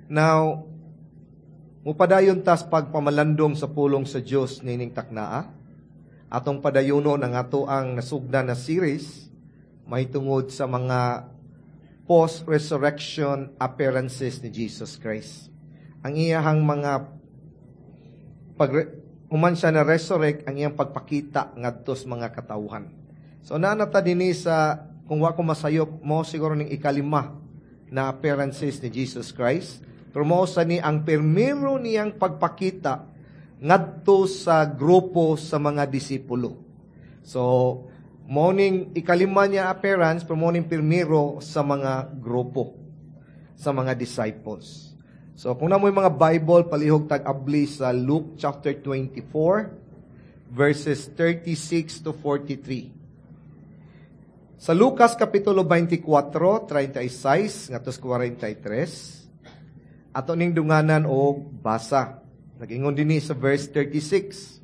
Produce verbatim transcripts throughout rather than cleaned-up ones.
Now, mupadayon tas pagpamalandong sa pulong sa Dios nining taknaa. Atong padayunon ang ato ang nasugdan na series mahitungod sa mga post-resurrection appearances ni Jesus Christ. Ang iyahang mga pag human siya na resurrect ang iyang pagpakita ngadto sa mga katawhan. So naa na ta dinhi sa kung wa ko masayop mo siguro ning ikalima na appearances ni Jesus Christ. Pero mao sa ni ang permero niyang pagpakita ngadto sa grupo sa mga disipulo. So, mao ning ikalima niya appearance, pero mao ning pirmero sa mga grupo, sa mga disciples. So, kung naa moy mga Bible, palihog tag-abli sa Luke chapter twenty-four, verses thirty-six to forty-three. Sa Lucas Kapitulo twenty-four, thirty-six ngadto forty-three, ato ning dunganan og basa. Nag-ingon dinhi sa verse thirty-six.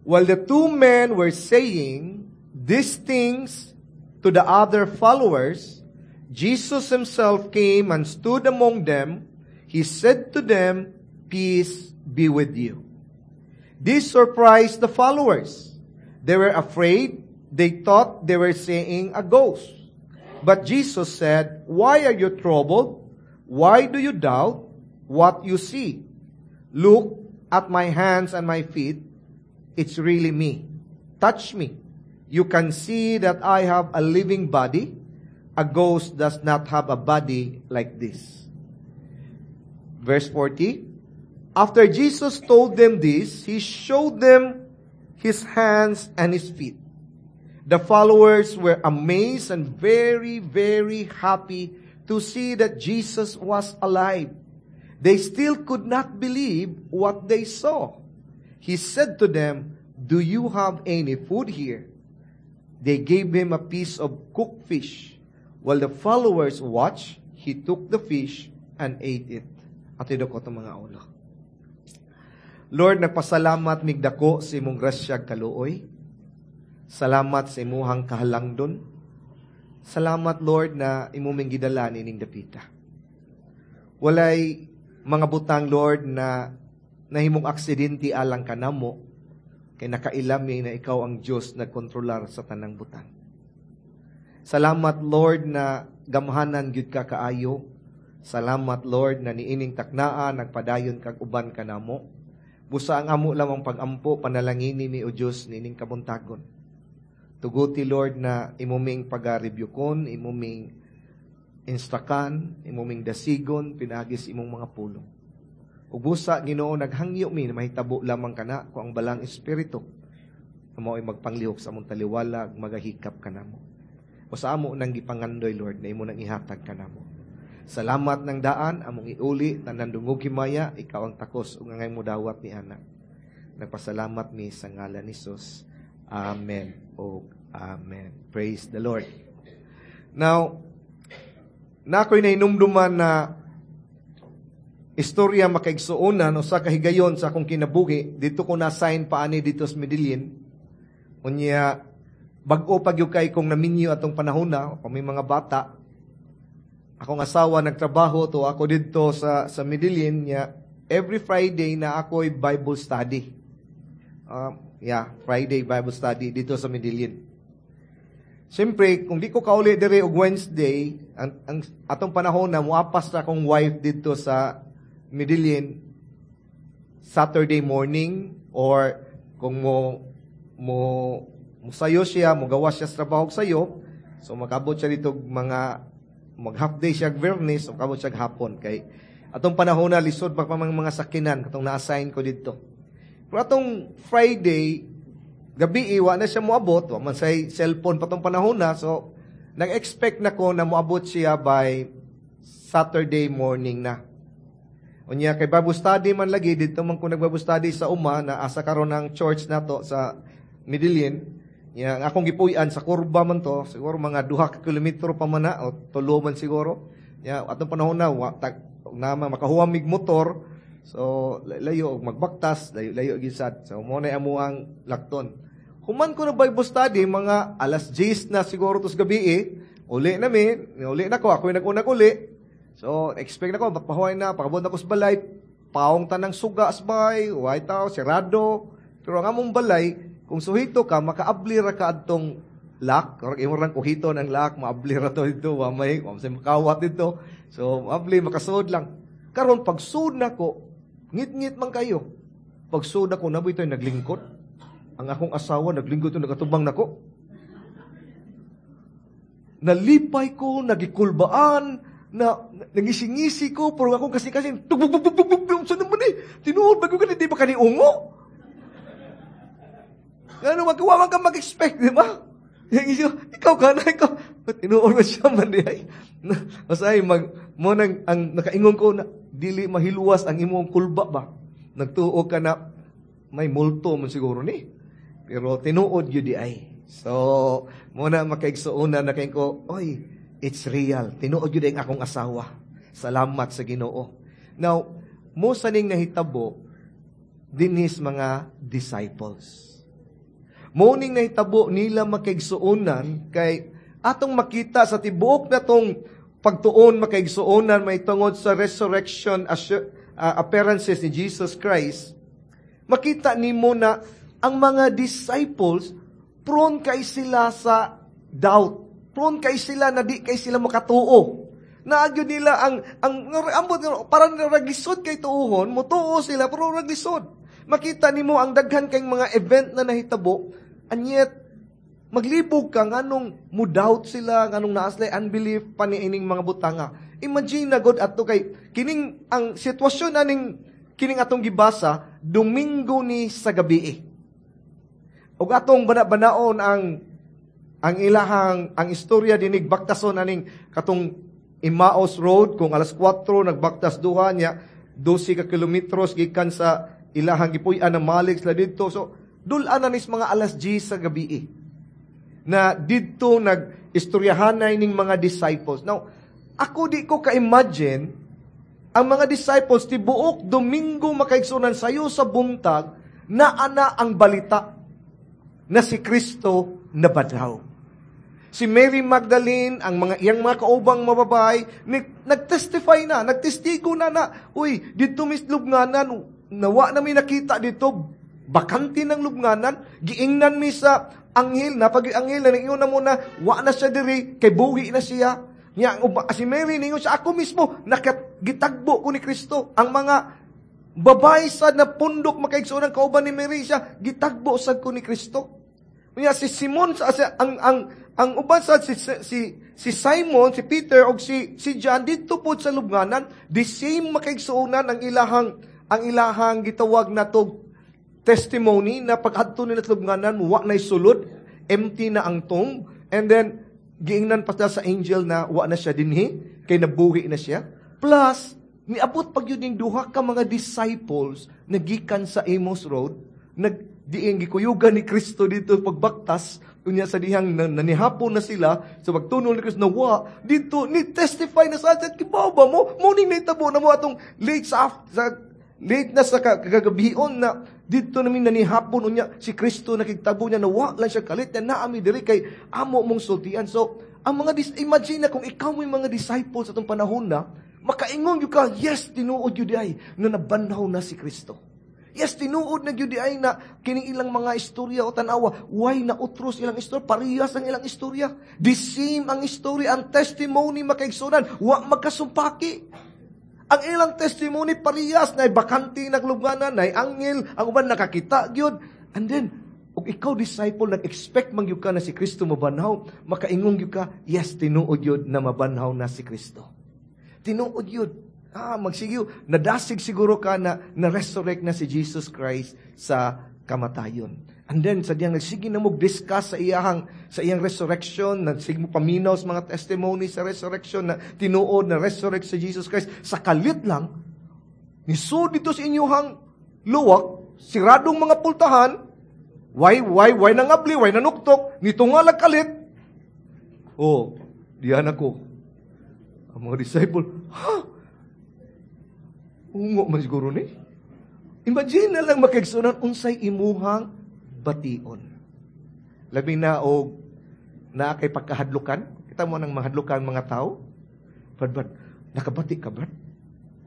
While the two men were saying these things to the other followers, Jesus himself came and stood among them. He said to them, "Peace be with you." This surprised the followers. They were afraid. They thought they were seeing a ghost. But Jesus said, "Why are you troubled? Why do you doubt what you see? Look at my hands and my feet. It's really me. Touch me. You can see that I have a living body. A ghost does not have a body like this." Verse forty. After Jesus told them this, he showed them his hands and his feet. The followers were amazed and very, very happy to see that Jesus was alive. They still could not believe what they saw. He said to them, "Do you have any food here?" They gave him a piece of cooked fish. While the followers watched, he took the fish and ate it. Ato idukot ang mga ulo. Lord, nagpasalamat mig dako sa imong grasyag kaluoy. Salamat sa imuhang kahalangdon. Salamat, Lord, na imo ming gidala nining dapita. Walay mga butang, Lord, na nahimong aksidente alang kanamo, kay nakaila mi na ikaw ang Diyos nagkontrolar sa tanang butang. Salamat, Lord, na gamhanan gyud ka kaayo. Salamat, Lord, na niining taknaa nagpadayon kag uban kanamo. Busa ang amo lamang pagampo, panalangini mi o Diyos niining kabuntagon. Tuguti, Lord, na imo ming pagarebyukon, imo ming instructan, imo ming dasigon, pinaagi sa imong mga pulong. Ug busa, Ginoo, naghangyo mi na mahitabo lamang kana kung ang Balaang Espiritu na mao'y magpanglihok sa among taliwala, magahikap kanamo. O sa amo nang gipangandoy, Lord, na imo nang ihatag kanamo. Salamat ng daan, among iuli, tanan dungog himaya, ikaw ang takos ug angay mo dawat ni ana. Nagpasalamat mi sa ngalan ni Jesus. Amen o amen. Praise the Lord. Now, naa ko'y nahinumduman na istorya, makaigsuonan, o sa kahigayon sa akong kinabuhi. Dito ko na-assign pa ani dito sa Medellin. Unya, bag-o pa gyud kay kong naminyo atong panahon na, kami mga bata. Akong asawa nagtrabaho to ako dito sa sa Medellin niya. Every Friday na ako'y Bible study. Uh, yeah, Friday Bible study dito sa Medellin. Siyempre, kung di ko kauli diri og Wednesday, ang, ang atong panahon na muapas na akong wife dito sa Medellin Saturday morning or kung mo mo musayo siya, mugawas siya sa trabaho sayo, so makabot siya dito mga mag half day siya Biyernes, so makabot siya hapon kay atong panahon na lisod pa pa mga mga sakinan katong na-assign ko dito. Pero atong Friday gabi wa na siya moabot, wa man say cellphone pa tong panahon na, so nag-expect na ko na moabot siya by Saturday morning na. Unya kay Bible study man lagi dito man ko nag-Bible study sa uma na asa karon ng church nato sa Medellin. Ya, ang akong gipuy-an sa kurba man to, siguro mga duha ka kilometro pa man na o tulo man siguro. Ya, atong panahon na wa tag na makahuwam mig motor. So layo og magbaktas, layo layo gyud sad. So mo na amo ang lakton. Human ko na Bible study mga alas diyes na siguro tos gabi eh. Uli na mi, uli na ko, ako yung nag-unag uli. So, expect na ko, pahuway na, pakabot na ko sa balay, paong tanang suga sa balay, way tao, sirado. Pero ang among balay, kung suhito ka, makaabli ra ka adtong lock, or imo rang kuhito ng lock, maabli ra to dito, wa may, wa may makawat dito. So, maabli, makasud lang. Karon pagsud nako, ngit-ngit man kayo. Pagsud ako, naboy ito'y naglingkod. Ang akong asawa, naglingkod ito, nagatubang nako. Nalipay ko, nagikulbaan, na nangisingisi ko, pero akong kasi-kasi, tug, tug, tug, tug, tug, saan naman eh? Tinuod ba ko di ba kani ungo? Ngano, magawa man ka mag-expect, di ba? Ikaw ka na, ikaw. Tinuod ba siya man di ay? Masay, mag, mo nang, ang nakaingon ko na, dili mahiluwas ang imong kulba ba? Nagtuo ka na, may multo man siguro ni. Pero tinuod yun di ay. So, muna makaigsuonan na kayo ko, oy, it's real. Tinuod yun ang akong asawa. Salamat sa Ginoo. Now, mo saning nahitabo dinis mga disciples. Mo ning nahitabo nila makaigsuonan kay atong makita sa tibuok na tong pagtuon makaigsuonan may tungod sa resurrection assu- uh, appearances ni Jesus Christ, makita nimo na ang mga disciples prone kay sila sa doubt. Prone kay sila na di kay sila makatuo. Naagyo nila ang ang ambot parang raglisod kay tuohon, mutuo sila pero raglisod. Makita nimo ang daghan kay mga event na nahitabo, and yet maglibog ka nganong mo doubt sila, nganong naa sila unbelief pa niining mga butanga. Imagine na god ato kay kining ang sitwasyon aning kining atong gibasa Domingo ni sa gabi. Ug atong bana-banaon ang ang ilahang ang istorya dinig baktason aning katong Emmaus Road kung alas kwatro nagbaktas duha niya dose ka kilometros gikan sa ilahang gipuy-an na malik sila didto. So dul-an na nis mga alas diyes sa gabi na didto nag-istoryahanay ning mga disciples. Now, ako di ko ka-imagine ang mga disciples tibuok Domingo makaigsunan sayo sa buntag na ana ang balita na si Kristo nabanhaw. Si Mary Magdalene, ang mga iyang mga kaubang mababay, nagtestify na, nagtestigo na na, uy, dito mis lubnganan, nawa na mi nakita dito, bakante ng lubnganan, giingnan mi sa anghel, napag anghel na ningon na muna, wa na siya diri, kay buhi na siya. Nya, si Mary ningon siya, ako mismo, nakat, gitagbo ko ni Kristo. Ang mga babae sa napundok makaigsoon ang kauban ni Mary siya, gitagbo sad ko ni Kristo. Nya si Simon sa ang ang ang uban sa si, si si Simon, si Peter og si si John didto pod sa lubnganan, the same makaigsuonan ang ilahang ang ilahang gitawag na to testimony na pag-adto nila sa lubnganan, wa na'y sulod, empty na ang tomb, and then giingnan pa sa angel na wa na siya dinhi, kay nabuhi na siya. Plus, niabot pag yun yung duha ka mga disciples na gikan sa Amos Road, nag diing gikuyugan ni Kristo dito pagbaktas, unya sa dihang nanihapon na sila, sa pagtunol ni Kristo na wa, dito, ni testify na sa atin, kibaw ba mo? Morning na itabo na mo atong late sa, sa late na sa kagabion na dito namin nanihapon unya si Kristo nakigtabo niya na wa lang siya kalit na naami diri kay amo mong sultian. So, ang mga dis- imagine na kung ikaw mo yung mga disciples sa atong panahon na, makaingon gyud ka, yes, tinuod gyud ay na nabanhaw na si Kristo. Yes, tinuod na gyud ay na kining ilang mga istorya o tanawa, why na utros ilang istorya, parehas ang ilang istorya. The same ang istorya, ang testimony makaigsunan, wa magkasumpaki. Ang ilang testimony parehas na bakante naglubnganan, na anghel, ang uban nakakita gyud. And then, ug ikaw disciple nag-expect man gyud ka na si Kristo mabanhaw, makaingon gyud ka, yes, tinuod gyud na mabanhaw na si Kristo. Tinuod gyud. Ah, magsigiw, nadasig siguro ka na na-resurrect na si Jesus Christ sa kamatayon. And then, sa diyang nagsige na mo discuss sa iyahang, sa iyang resurrection, nagsige mo paminaw sa mga testimony sa resurrection na tinuod na resurrect si Jesus Christ. Sa kalit lang, nisud dito sa inyuhang luwak, siradong mga pultahan, why, why, why nangabli, why nanuktok, nito nga lang kalit. Oh, diyan ako. Ang mga disciple, ha? Ungo man siguro ni. Imagine na lang makaigsunan unsay imuhang bation. Labi na og naa kay pagkahadlukan. Kita mo nang mahadlukan mga tao. Badbad. Nakabati ka, Brad?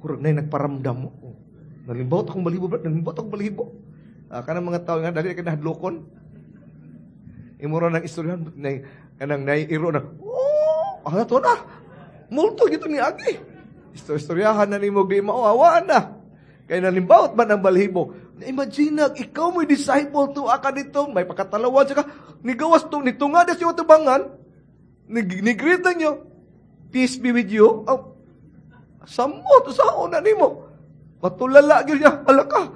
Hurag na nagparamdam mo. Oh. Nalimbawot akong balibo, Brad. Nalimbawot akong balibo. Uh, kanang mga tao nga, dali ka nahadlokon. Imuro ng istoryahan, na, kanang naiiro na, oh, ano to na? Multo gito ni Agi. Istoryahan na nimo di mao, na. Kay nalimbawot man ang balhibo. Imagine na, ikaw mo'y disciple to aka dito, may pakatalawan siya ka, nigawas to, nitungad siya tubangan, ni-greet nyo, "Peace be with you." Oh, samot, sa una nimo. Matulala gyud niya, ala ka.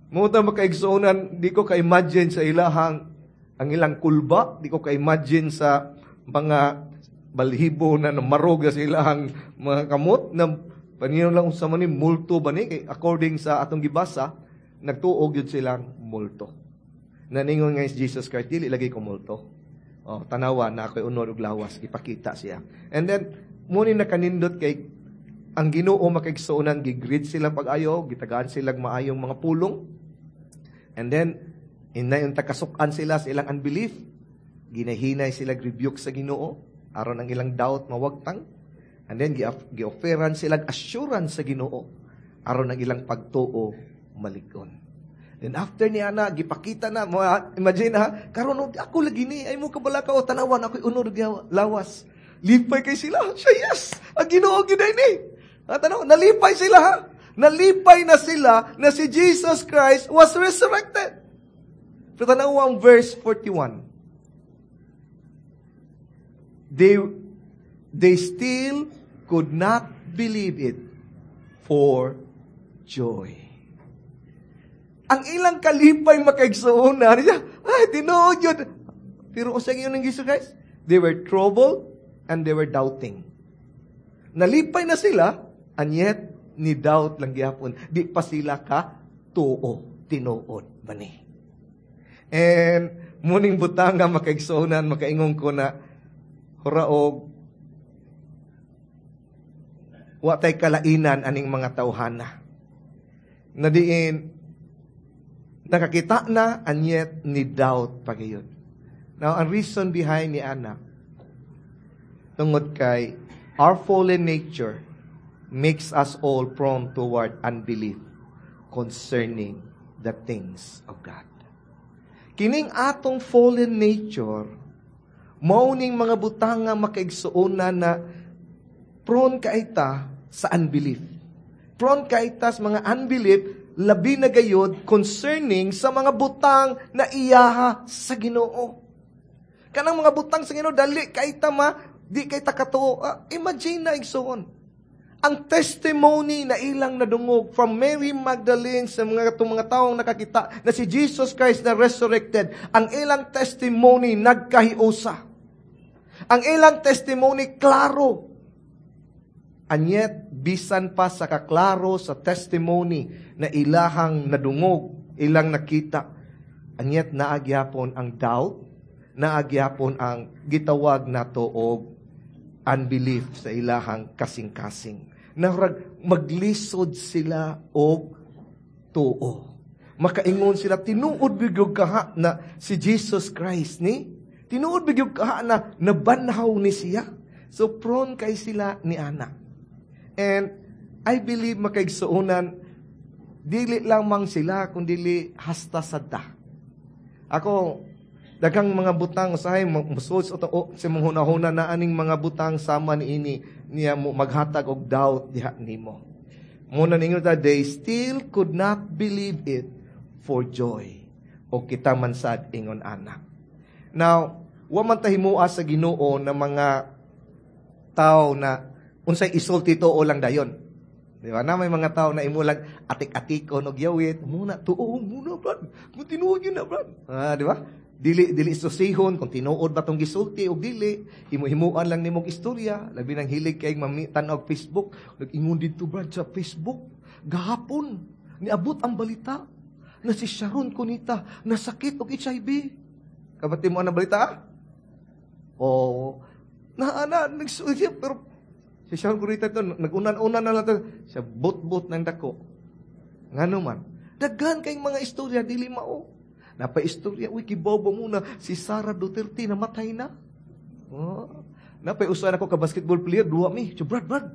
Mo ta makaigsuonan, di ko ka-imagine sa ilahang ang ilang kulba, di ko ka-imagine sa mga balhibo na namarog sa ilahang mga kamot na paningon lang unsa man ni, multo ba ni? Kay according sa atong gibasa, nagtuog yun silang multo. Naningon nga si Jesus Christ, "Dili lagi ko multo. Oh, tanawa na ako'y unod ug lawas," ipakita siya. And then muni nakanindot kay ang Ginoo, makaigsuonan, gi-greet sila pag-ayo, gitagaan sila maayong mga pulong. And then inay takasukan sila sa ilang unbelief, ginahinay sila rebuke sa Ginoo aron ang ilang doubt mawagtang. And then gi-offeran sila assurance sa Ginoo aron ang ilang pagtuo malig-on. Then after ni ana gipakita na mo, imagine ha, karon ako lagi ni ay mo kabala ka o tanawan ako'y unod lawas. Lipay kay sila. Siya, yes, ang Ginoo gyud ni. Ha, tanaw, nalipay sila ha. Nalipay na sila na si Jesus Christ was resurrected. Pero tanaw ang verse forty-one. They, they still could not believe it for joy. Ang ilang kalipay, makaigsuonan, siya, ay, tinuod yun. Pero usa yun ng Jesus Christ? They were troubled and they were doubting. Nalipay na sila, and yet, ni doubt lang gyapon. Di pa sila ka tuo, tinuod ba ni? And muning butang nga makaigsuonan, makaingon ko na huraog wa tay kalainan aning mga tawhana. Na diin nakakita na and yet ni doubt pa gayon. Now, ang reason behind ni ana, tungod kay our fallen nature makes us all prone toward unbelief concerning the things of God. Kining atong fallen nature, mao ning mga butang nga makaigsuonan na prone kaita sa unbelief. Prone kaita sa mga unbelief, labi na gayod concerning sa mga butang na iyaha sa Ginoo. Kanang mga butang sa Ginoo, dali kaita ma, di kay ta katuo. Uh, imagine na, igsuon, ang testimony na ilang nadungog from Mary Magdalene sa mga itong mga taong nakakita na si Jesus Christ na resurrected, ang ilang testimony nagkahiusa. Ang ilang testimony klaro. And yet, bisan pa sa kaklaro sa testimony na ilahang nadungog, ilang nakita, and yet naagyapon ang doubt, naagyapon ang gitawag nato og unbelief sa ilahang kasing-kasing. Narag maglisod sila og tuo. Makaingon sila, tinuod bigyog kaha na si Jesus Christ ni? Tinuod bigyog kaha na nabanhaw ni siya? So prone kay sila ni ana. And I believe, makaigsuonan, dili lamang sila kung dili hasta sadta. Ako, daghang mga butang usahay musod sa sa mong hunahuna na aning mga butang sama ni ini niya mo maghatag og doubt diha nimo. Muna ningon ta, they still could not believe it for joy. O kita man sad ingon ana. Now, wa man ta himua sa Ginoo na mga tao na unsay isulti tuo lang dayon. Di ba? Na may mga tao na imo lang atik-atikon og yawit, muna tuo muna, brad. Kung tinuod yun na, brad. Ah, di ba? Dili dili susihon kung tinuod ba tong gisulti o dili, himo-himuan lang nimong istorya, labi nang hilig kay mamitan og Facebook, nag-ingon didto, brad, sa Facebook gahapon niabot ang balita na si Sharon Cuneta nasakit og H I V. Kabati mo ang balita? Oh, na na nagsulti pero si Sharon Cuneta ito, nag-unan-unan na lang ito, siya but-but ng dako. Ngano man, daghan kayong mga istorya, dili mao. Napa-istorya, uy, kibobo muna, si Sara Duterte, namatay na. Oh. Napay usahan ako ka basketball player, duwa mi. So, "Brad, Brad,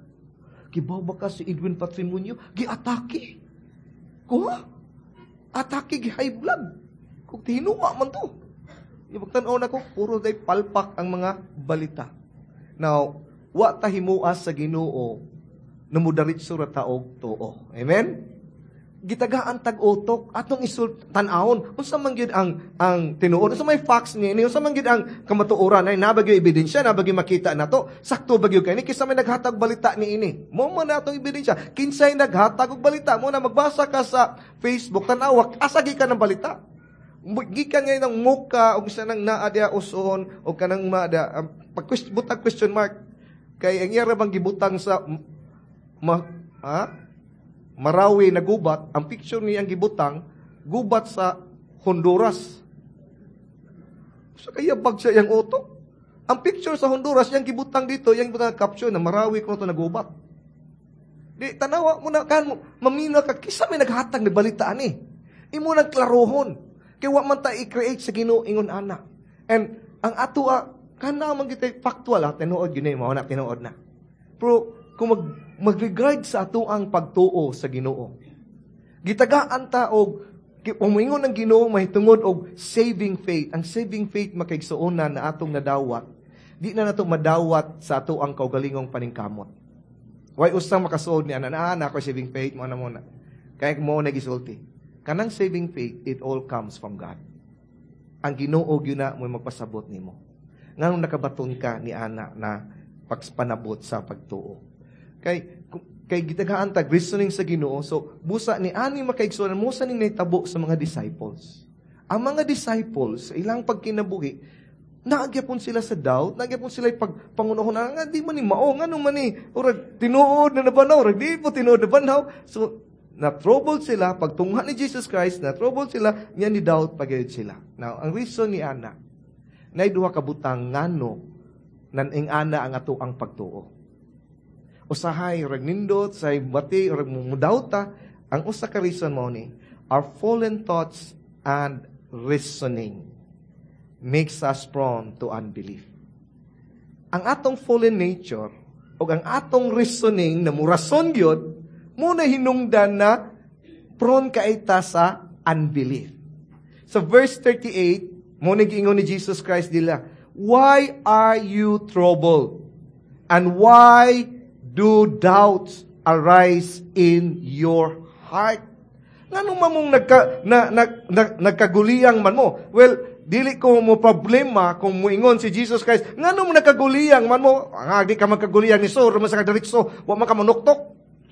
Kibaw ba ka si Edwin Patrimonio? Giatake. Kuha? Atake gi high blood. Kung tihinua man to. Yung pagtanaw na ko, puro day palpak ang mga balita. Now, wa ta himuas sa Ginoo na mudaritso ra ta og tuo. Amen? Gitagaan tag utok atong isul tan-awon unsa man gyud ang ang tinuod, unsa may facts ni ini, unsa man gyud ang kamatuoran, ay naa ba gyud ebidensya, naa ba gyud makita nato, sakto ba gyud kay ni, kinsa may naghatag balita ni ini mo man na atong ebidensya, kinsay naghatag og balita mo na. Magbasa ka sa Facebook, tan-awa asa gikan ang balita. Gikan ngay ng muka og isa nang naa diya uson o kanang maada pag butang question mark kay ang iya ra bang gibutang sa ma, ha? Marawi na gubat, ang picture niya ang gibutang, gubat sa Honduras. Sa kaya bag siya yung utok. Ang picture sa Honduras, yung gibutang dito, yung gibutang caption na Marawi ko to na gubat. Di, tanawa mo na, kan mo, mamina ka, kisa may naghatag na balitaan eh. Imo nang klarohon. Kaya wa man ta i-create sa Ginoo ingon ana. And ang ato ah, kana man kita factual ah, tinuod yun eh, mao na tinuod na. Pero kung mag mag-regard sa ato ang pagtuo sa Ginoo. Gitagaan ta og umingon ang Ginoo mahitungod og saving faith. Ang saving faith, makaigsuonan, na atong nadawat, di na nato madawat sa ato ang kaugalingong paningkamot. Way usang makasuod ni ana na ana ko saving faith mo na muna. Kaya mo na gisulti. Kanang saving faith, it all comes from God. Ang Ginoo gyud na mo magpasabot nimo. Nganong nakabaton ka ni ana na pagpanabot sa pagtuo. Kay kay gitagaan tag reasoning sa Ginoo, so busa ni ani makaigsuonan mo sa ning nahitabo sa mga disciples. Ang mga disciples sa ilang pagkinabuhi, naagyapon sila sa doubt, naagyapon sila pag pangunahon nga di man ni mao, ngano man ni urag tinuod na nabanhaw, urag di po tinuod na banhaw. So na trouble sila pagtungha ni Jesus Christ, na trouble sila nya ni doubt pagayod sila. Now, ang reason ni ana, nay duha ka butang ngano nan ana ang ato ang pagtuo. Usahay rag nindot say bati rag mudawta, ang usa ka reason mo ni our fallen thoughts and reasoning makes us prone to unbelief. Ang atong fallen nature o ang atong reasoning na murason gyud mo na hinungdan na prone kaita sa unbelief. Sa verse thirty-eight, mo ni giingon ni Jesus Christ dila, "Why are you troubled? And why do doubts arise in your heart?" Ngano man mong nagka, na, na, na, nagkaguliyang man mo? Well, dili ko mo problema kung muingon si Jesus Christ, ngano mo nagkaguliyang man mo? Nga, di ka magkaguliyang ni Sor, man sa kadiritso, wa man ka manuktok.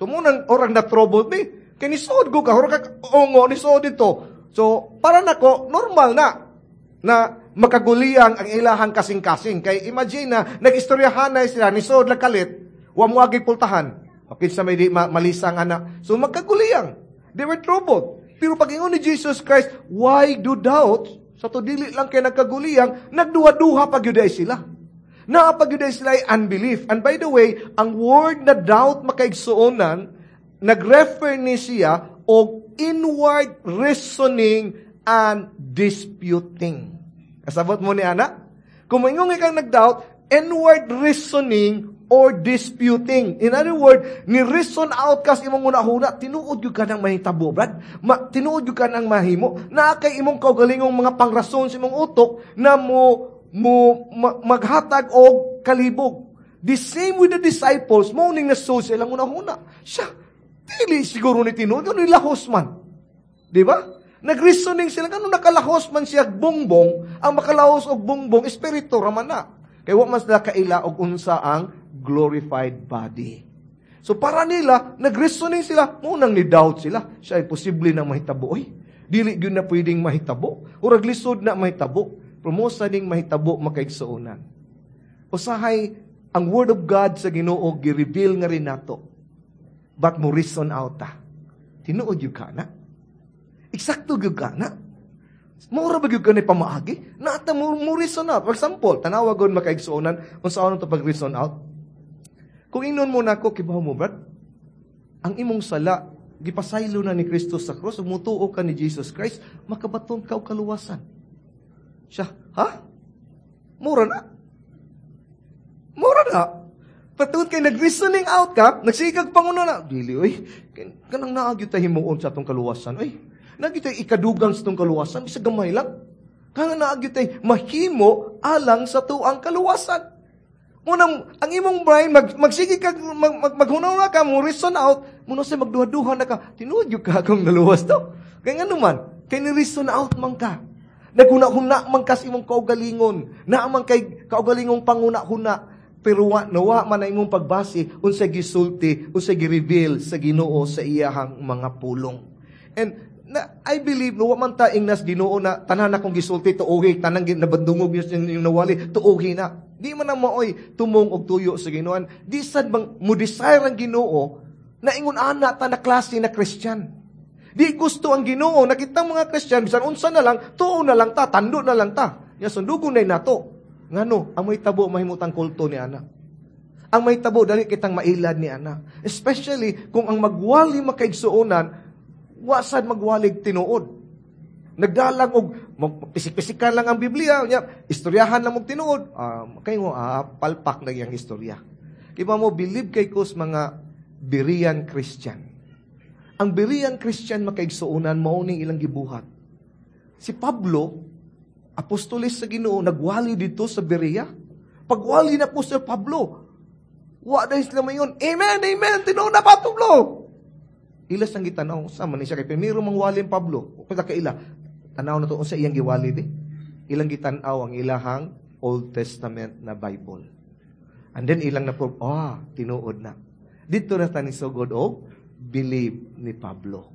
So, munang orang na troubled me. Kay ni Sod ko ka, ka ongo ni Sod dito. So, para nako, normal na na makaguliyang ang ilahang kasing-kasing. Kay imagine na, nag-istoryahan na sila, ni Sod kalit, wa mo agi pultahan. Okay, sa may di ma- malisang anak. So, magkaguliyang. They were troubled. Pero pag ingon ni Jesus Christ, "Why do doubt?" Sa to dili lang kay nagkaguliyang, nagduha-duha pag ay sila. Naa pag ay sila ay unbelief. And by the way, ang word na doubt, makaigsuonan, nag-refer ni siya og inward reasoning and disputing. Kasabot mo ni ana? Kung moingon kang nag-doubt, inward reasoning or disputing. In other words, ni reason out kas imong una-huna, tinuod gyud ka nang mahitabo, brad. Ma, tinuod gyud ka nang mahimo. Naa kay imong kaugalingong mga pangrason sa imong utok na mo mo ma, maghatag og kalibog. The same with the disciples, mo ning nasud sa ilang una-huna. Siya, dili siguro ni tinuod, ano lahos man. Di ba? Nag-reasoning sila, ano nakalahos man siya bongbong, ang makalahos og bongbong, espiritu raman na. Kay wa man sila kaila og unsa ang glorified body. So para nila, nag-reasoning sila, munang ni doubt sila. Siya ay posible na mahitabo. Oy, dili gyud na pwedeng mahitabo. Urag lisod na mahitabo. Promosa ning mahitabo, makaigsuonan. Usahay, ang Word of God sa Ginoo gi-reveal nga rin nato. But mo reason out ta. Tinuod gyud ka na. Eksakto gyud ka na. Mura ba gyud ka ni pamaagi? Naata mo, mo reason out. For example, tanawa gud, makaigsuonan, kung saan to pag-reason out. Kung ingnon mo nako, "Kibaw mo, brad, ang imong sala, gipasaylo na ni Kristo sa krus, ug mutuo ka ni Jesus Christ, makabaton ka og kaluwasan." Siya, ha? Mura na. Mura na. Patungod kay nag-reasoning out ka, nagsigag panguna na, dili, oy, kanang naa gyud tay himuon sa atong kaluwasan, oy. Naa gyud tay ikadugang sa atong kaluwasan, bisag gamay lang. Kanang naa gyud tay mahimo alang sa atuang kaluwasan. Unang, ang imong brain, mag, magsige ka, mag, mag, maghuna ka, mo reason out, muna sa magduha-duha na ka, tinuod gyud ka akong naluwas to. Kaya nga naman, kay ni-reason out man ka. Naghuna-huna man ka sa imong kaugalingon. Naa man kay kaugalingong panguna-huna. Pero wa, nawa man na imong pagbase, unsay gisulti, unsay gi-reveal sa Ginoo sa iyahang mga pulong. And na, I believe, no, wa man ta ingnas Ginoo na tanan akong gisulti tuohi, tanang nabandungog yung, yung nawali, tuohi na. Di man na maoy tumong og tuyo sa Ginoo. Di sad bang mo desire ang Ginoo na ingon ana ta na klase na Christian. Di gusto ang Ginoo na kitang mga Christian bisan unsa na lang, tuo na lang ta, tando na lang ta. Nya sundugon na nato. Ngano, ang may tabo mahimutang kulto ni ana. Ang may tabo dali kitang mailad ni ana. Especially kung ang magwali makaigsuonan, wa sad magwalig tinuod. Nagdalang og pisik-pisikan lang ang Biblia, nya istoryahan lang og tinuod. Um, kay mo ah, palpak na iyang istorya. Kiba mo believe kay kos mga Berean Christian. Ang Berean Christian makaigsuonan mao ning ilang gibuhat. Si Pablo, apostolis sa Ginoo, nagwali dito sa Berea. Pagwali na po si Pablo, wa dahil sila mayon, Amen, amen, tinuod na pa Pablo. Ila sang gitanaw, sa man siya kay primero mangwali ang Pablo. Kung kaila, tanaw na to unsa iyang giwali di. Ilang gitan-aw ang ilahang Old Testament na Bible. And then ilang na po, ah, tinuod na. Dito na ta ni sugod og believe ni Pablo.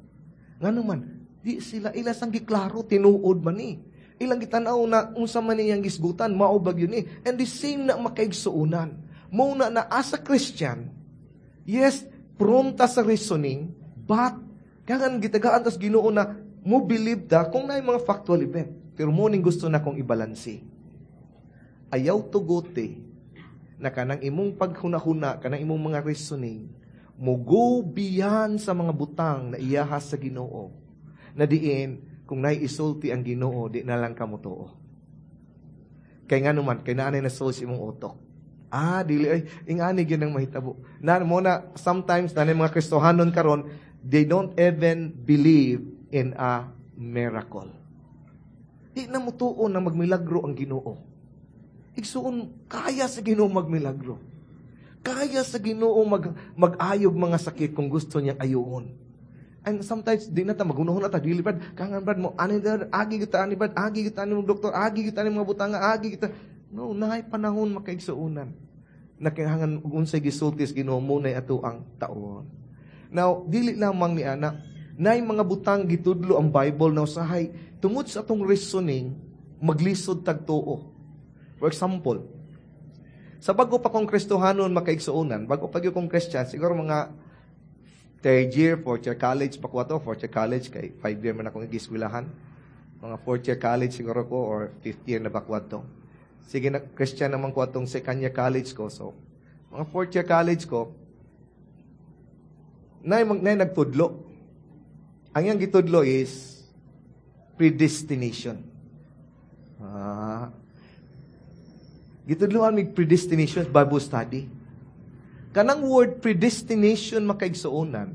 Ngano man, di sila ila sang giklaro tinuod man ni. Ilang gitanaw na unsa man iyang gisgutan, mao ba gyud ni. And the same na makaigsuonan. Mao na na as a Christian, yes, prone ta sa reasoning, but kangan gitagaan tas Ginoo na mo believe ta kung naay mga factual event. Pero mo ning gusto na kong ibalanse. Ayaw tugote na kanang imong paghuna-huna, kanang imong mga reasoning, mo go beyond sa mga butang na iyahas sa Ginoo. Na diin, kung naay isulti ang Ginoo, di na lang ka motuo. Kay nga naman, kay naanay na soul sa imong utok. Ah, dili ay ingani gyud ang mahitabo. Na mo na sometimes na mga Kristohanon karon, they don't even believe in a miracle. Di na motuo na magmilagro ang Ginoo. Igsuon, kaya sa Ginoo magmilagro. Kaya sa Ginoo mag, mag-ayog mga sakit kung gusto niyang ayuon. And sometimes, di na ta, magunahon na ta, dili brad, kangan brad mo, ani brad, agi kita, ani brad, agi kita, ani mo doktor, agi kita, ani mga butanga, agi kita. No, naay panahon makaigsuonan. Nakinahanglan unsay gisulti sa Ginoo mo nay ato ang taon. Now, dili lamang ni ana, naay mga butang gitudlo ang Bible na usahay tungod sa atong reasoning, maglisod tag tuo. For example, sa bago pa kong Kristohanon makaigsuonan, bago pa gyud kong Christian, siguro mga third year, fourth year college pa ko ato, fourth year college, kay five year man akong igiswilahan. Mga fourth year college siguro ko, or fifth year na ba ko ato. Sige na, Christian naman ko atong second year college ko. So, mga fourth year college ko, nay, nay nagtudlo. Ang iyang gitudlo is predestination. Ah, gitudloan mig predestination Bible study. Kanang word predestination makaigsuonan,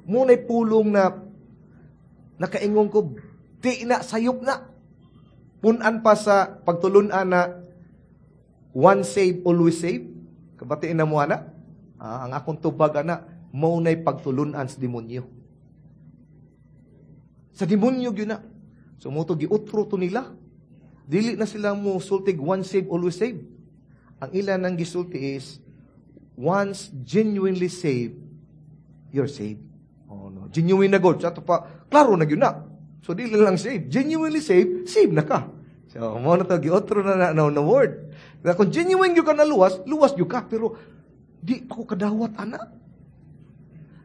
mo na'y pulong na nakaingon ko, di na, sayop na. Punan pa sa pagtulunan na once save, always save. Kabatiin na mo, ana. Ah, ang akong tubag, ana, mo na'y pagtulunan sa demonyo. Sa demonyo gyud na. So mo to giutro to nila. Dili na sila mo sultig once save, always save. Ang ilan ang gisulti is, once genuinely saved, you're saved. Oh no. Genuine na God. Sa ato pa, klaro na gyud na. So dili lang saved. Genuinely saved, saved na ka. So mo na to giotro na na, na, na word. Na kung genuine gyud ka na luwas, luwas gyud ka pero di pa ko kadawat ana.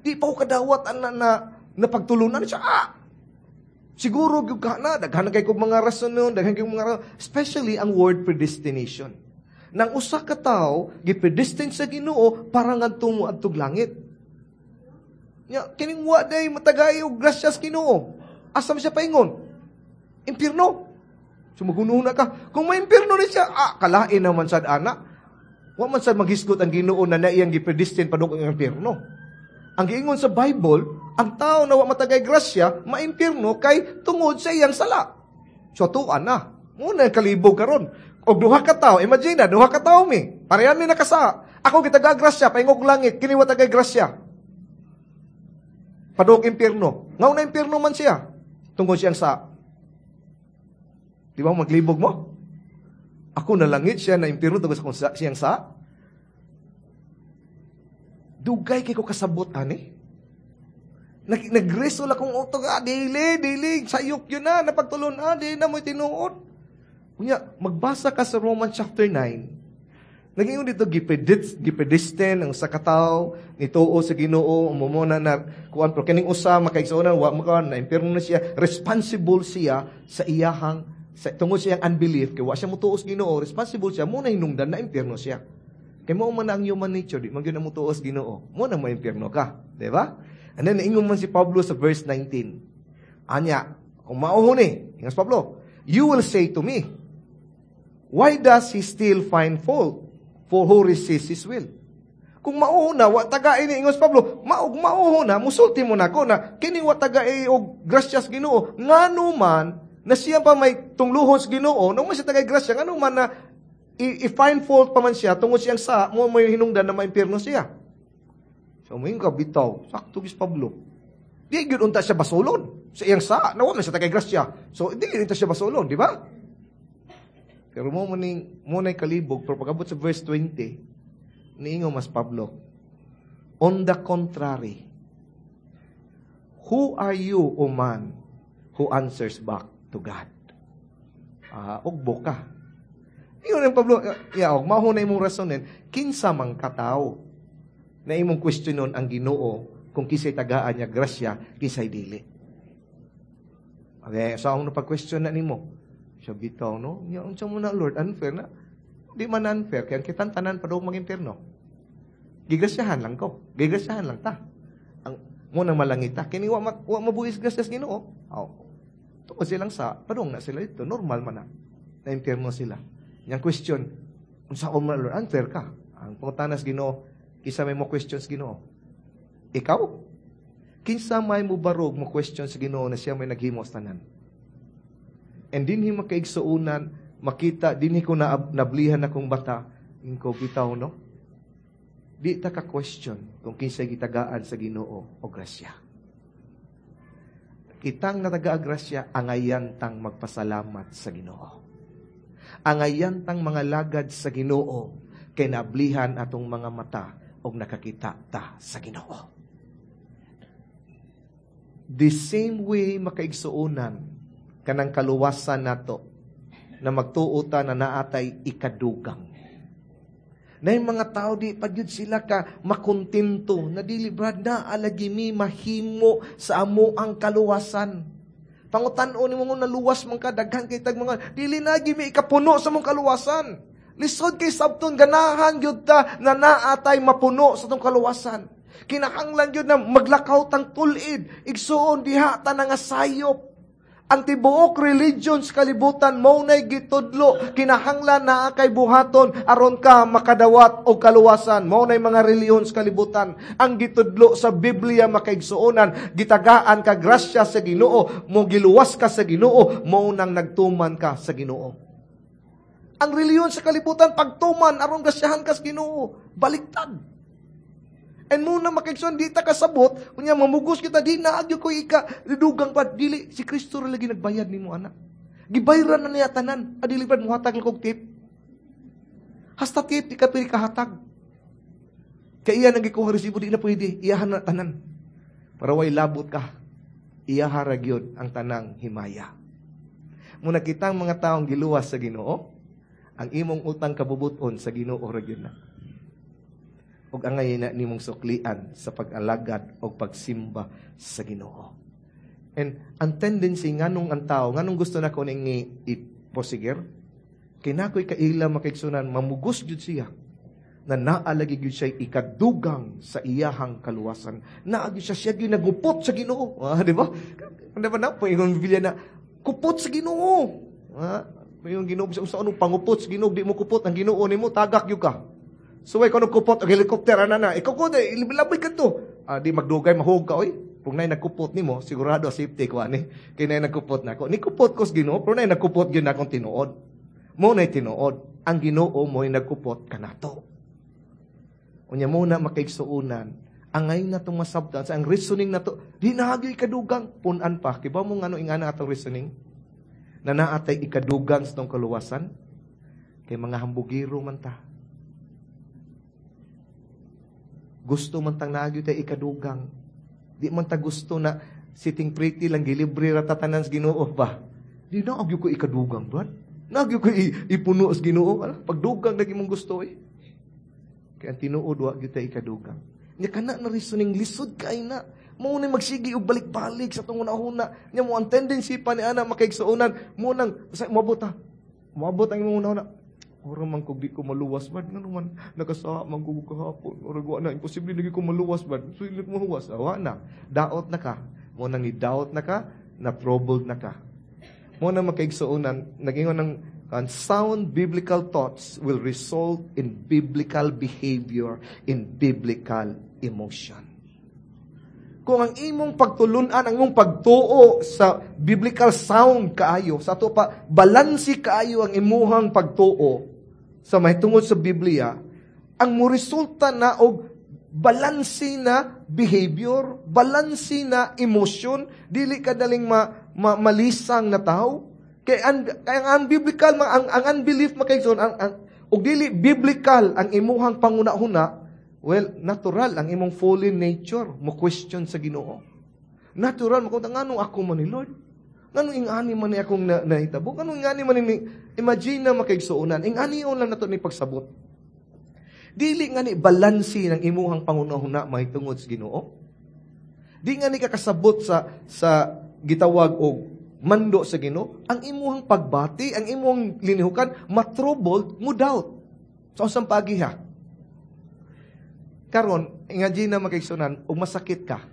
Di pa ko kadawat ana na na pagtulunan siya. Ah! Siguro gyud ka na daghan kay kog mga rason nun, daghan kay mga rason, especially ang word predestination. Nang usa ka tawo gipredestined sa Ginoo para ngadto mo adtog langit. Nya kining wa day matagay og grasya sa Ginoo. Asa man siya paingon? Impierno. So magunuhon na ka. Kung may impierno ni siya, ah, kalain naman sad ana. Wa man sa maghisgot ang Ginoo na naiyang gipredestined padung ang impyerno. Ang giingon sa Bible, ang tao na wa matagay grasya, maimpyerno kay tungod sa iyang sala. So tuan na. Muna kalibog karon. Og duha ka tawo, imagine na, duha ka tawo mi. Parehan mi nakasa. Ako gitaga grasya, paingog langit, kini wa tagay grasya. Padung impyerno. Ngao na impyerno man siya. Tungod siyang sa. Di ba maglibog mo? Ako na langit siya na impyerno tungod sa kung sa, siyang sa. Dugay kay ko kasabot ani. Nag nagreso la kong utok, ah, dili, dili, sayop yun na, napagtulon, ah, dili na mo'y tinuod. Kunya, magbasa ka sa Romans chapter nine. Naging dito, gipredit, gipredestin ang sa kataw, nituo sa Ginoo, umumuna na, kuan, pero kining usa, makaigsuonan, wa mo na impyerno na siya, responsible siya sa iyahang, sa, tungod sa iyang unbelief, kay wa siya mutuo sa Ginoo, responsible siya, muna hinungdan na impyerno siya. Kay mao man ang human nature, di man gyud na mutuo sa Ginoo, mo na mo impyerno ka, di ba? And then, ingon man si Pablo sa verse nineteen. Anya, kung mao ni, ingon si Pablo, you will say to me, why does he still find fault? For who resists his will? Kung mao na, wa tagain ni ingon si Pablo, maog mao na, musulti mo nako na, kini wa tagay og grasyas Ginoo, ngano man, na siya pa may tungluhon sa Ginoo, nung man siya tagay grasya, ngano man na, i-find fault pa man siya, tungod siyang sa, mo may hinungdan na maimpirno siya. So, mo ka bitaw, sakto gis Pablo. Di gyud unta siya basolon sa iyang sa, nawa man siya tagay grasya. So, di gyud unta siya basolon, di ba? Pero mo maning mo nay kalibog, pero pag-abot sa verse twenty, niingon mas Pablo, on the contrary, who are you, O man, who answers back to God? Ah, ugbo ka. Ingon ang Pablo, ya, og mao na imong rasonin, kinsa man katawo na imong questionon ang Ginoo kung kinsay tagaan niya grasya, kinsay dili. Okay, so ang napag-question na nimo, siya bitaw, no? Nya, unsa mo na, Lord, unfair na? Di man unfair, kaya kitang tanan pa daw mag-impyerno. Gigrasyahan lang ko. Gigrasyahan lang ta. Ang mo nang malangita. Kini wa, ma, wa mabuhis grasyas Ginoo. Oh. Tungod silang sa, padung na sila dito. Normal man na. Na-impyerno sila. Yang question, unsa ko man, Lord, unfair ka. Ang pangutanas Ginoo, kinsa may mo questions Ginoo? Ikaw? Kinsa may mo barog mo question sa Ginoo na siya may naghimo sa tanan? And dinhi makaigsuonan, makita, dinhi ko na, nablihan akong bata, ingko bitaw, no? Di ta ka question kung kinsay gitagaan sa Ginoo o grasya. Kitang nataga grasya, angayan tang magpasalamat sa Ginoo. Angayan tang mga lagad sa Ginoo, kay nablihan atong mga mata og nakakita ta sa Ginoo. The same way makaigsuonan kanang kaluwasan nato na magtuo ta na naatay ikadugang. Na yung mga tao di pa gyud sila ka makontento na dili brad na alagi mi mahimo sa amo ang kaluwasan. Pangutan-on nimo nga naluwas man ka daghan kay tag mga dili na gyud mi ikapuno sa mong kaluwasan. Lisod kay sabton ganahan gyud ta na naatay mapuno sa tong kaluwasan. Kinahanglan gyud na maglakaw tang tul-id, igsuon diha ta nga sayop. Ang tibuok religion sa kalibutan mao nay gitudlo, kinahanglan naa kay buhaton aron ka makadawat og kaluwasan. Mao nay mga relihiyon sa kalibutan. Ang gitudlo sa Biblia makaigsuonan, gitagaan ka grasya sa Ginoo, mo giluwas ka sa Ginoo, mao nang nagtuman ka sa Ginoo. Ang relihiyon sa kalibutan pagtuman aron grasyahan ka sa Ginoo, baliktad. And muna makigsuon, di ta kasabot, kunya mamugos kita, di na agyo ko ika, dugang pa, dili, si Kristo ra lagi nagbayad nimo anak. Gibayran na niya tanan, adili pa muhatag lang kog tip. Hasta tip, di ka pwede kahatag. Kaya iya nang gikuha resibo, di na pwede, iyahan na tanan. Para way labot ka, iyaha ra gyud ang tanang himaya. Muna kitang mga taong giluwas sa Ginoo, ang imong utang kabubuton sa Ginoo ra gyud na. Ug angay na nimong suklian sa pag-alagad o pagsimba sa Ginoo. And ang tendency nganong ang tao, nganong gusto na ko ning iposiger, kay nakoy kaila makaigsunan, mamugos jud siya na naalagi gyud siya ikadugang sa iyahang kaluwasan. Naagi siya siya gyud nagupot sa Ginoo. Ah, di ba? Di ba na po ingon Biblia na kupot sa Ginoo. Ah, yung Ginoo sa anong pangupot sa Ginoo, di mo kupot ang Ginoo nimo, tagak gyud ka. Suway ko kupot og helicopter ana na. Ikaw ko laboy kadto. Ah, di magdugay mahug ka oy. Kung nay nagkupot nimo, sigurado safety ko ani. Kay nay nagkupot nako. Ni kupot ko sa Ginoo, pero nay nagkupot gyud akong tinuod. Mo nay tinuod. Ang Ginoo mo'y nagkupot kanato. Unya mo na makaigsuonan, angay na itong masabtan sa ang reasoning na to, di na ikadugang, punan pa. Kibaw mo ngano ingana atong reasoning? Na naatay ikadugang sa tong kaluwasan? Kay mga hambugiro man ta. Gusto man tang naagyo tay ikadugang. Di man ta gusto na sitting pretty lang gilibre ra tatanan sa Ginoo ba? Di na agyo ko ikadugang, brad. Naagyo ko ipuno sa Ginoo. Ala, pagdugang lagi mong gusto eh. Kaya ang tinuod wa gyud tay ikadugang. Nya kana na reasoning lisod kay na. Mao ni magsigi og balik-balik sa tong una-una. Nya mo ang tendency pa ni ana makaigsuonan mo nang sa moabot ha. Moabot ang imong una-una. Ora man kog di ko maluwas man ngano man nakasa man ko kahapon. Ora wa na imposible lagi ko maluwas man. So ilit mo huwas, wa na. Daot na ka. Mo nang ni-doubt na ka, na troubled na ka. Mo na makaigsuonan nagingon ng and sound biblical thoughts will result in biblical behavior, in biblical emotion. Kung ang imong pagtulunan, ang imong pagtuo sa biblical sound kaayo, sa ato pa, balansi kaayo ang imuhang pagtuo sa mahitungod sa Biblia, ang mo resulta na og balansi na behavior, balansi na emotion, dili ka daling ma, ma, malisang na tao. Kay ang, kay ang unbiblical, ang, ang unbelief makaigsoon, ang, ang, og dili biblical ang imuhang panguna-huna, well, natural ang imong fallen nature mo question sa Ginoo. Natural mo kung nganong ako man ni Lord? Nganong ingani man ni akong na, nahitabo? Nganong ingani man ni imagine na makaigsuonan, ingani lang nato ni pagsabot. Dili nga ni balansi ng imuhang pangunahuna mahitungod sa Ginoo. Di nga ni kakasabot sa sa gitawag og mando sa Ginoo, ang imuhang pagbati, ang imuhang linihukan, matroubled, mo doubt. Sa usang pagi ha. Karon, imagine na makaigsunan, ug masakit ka.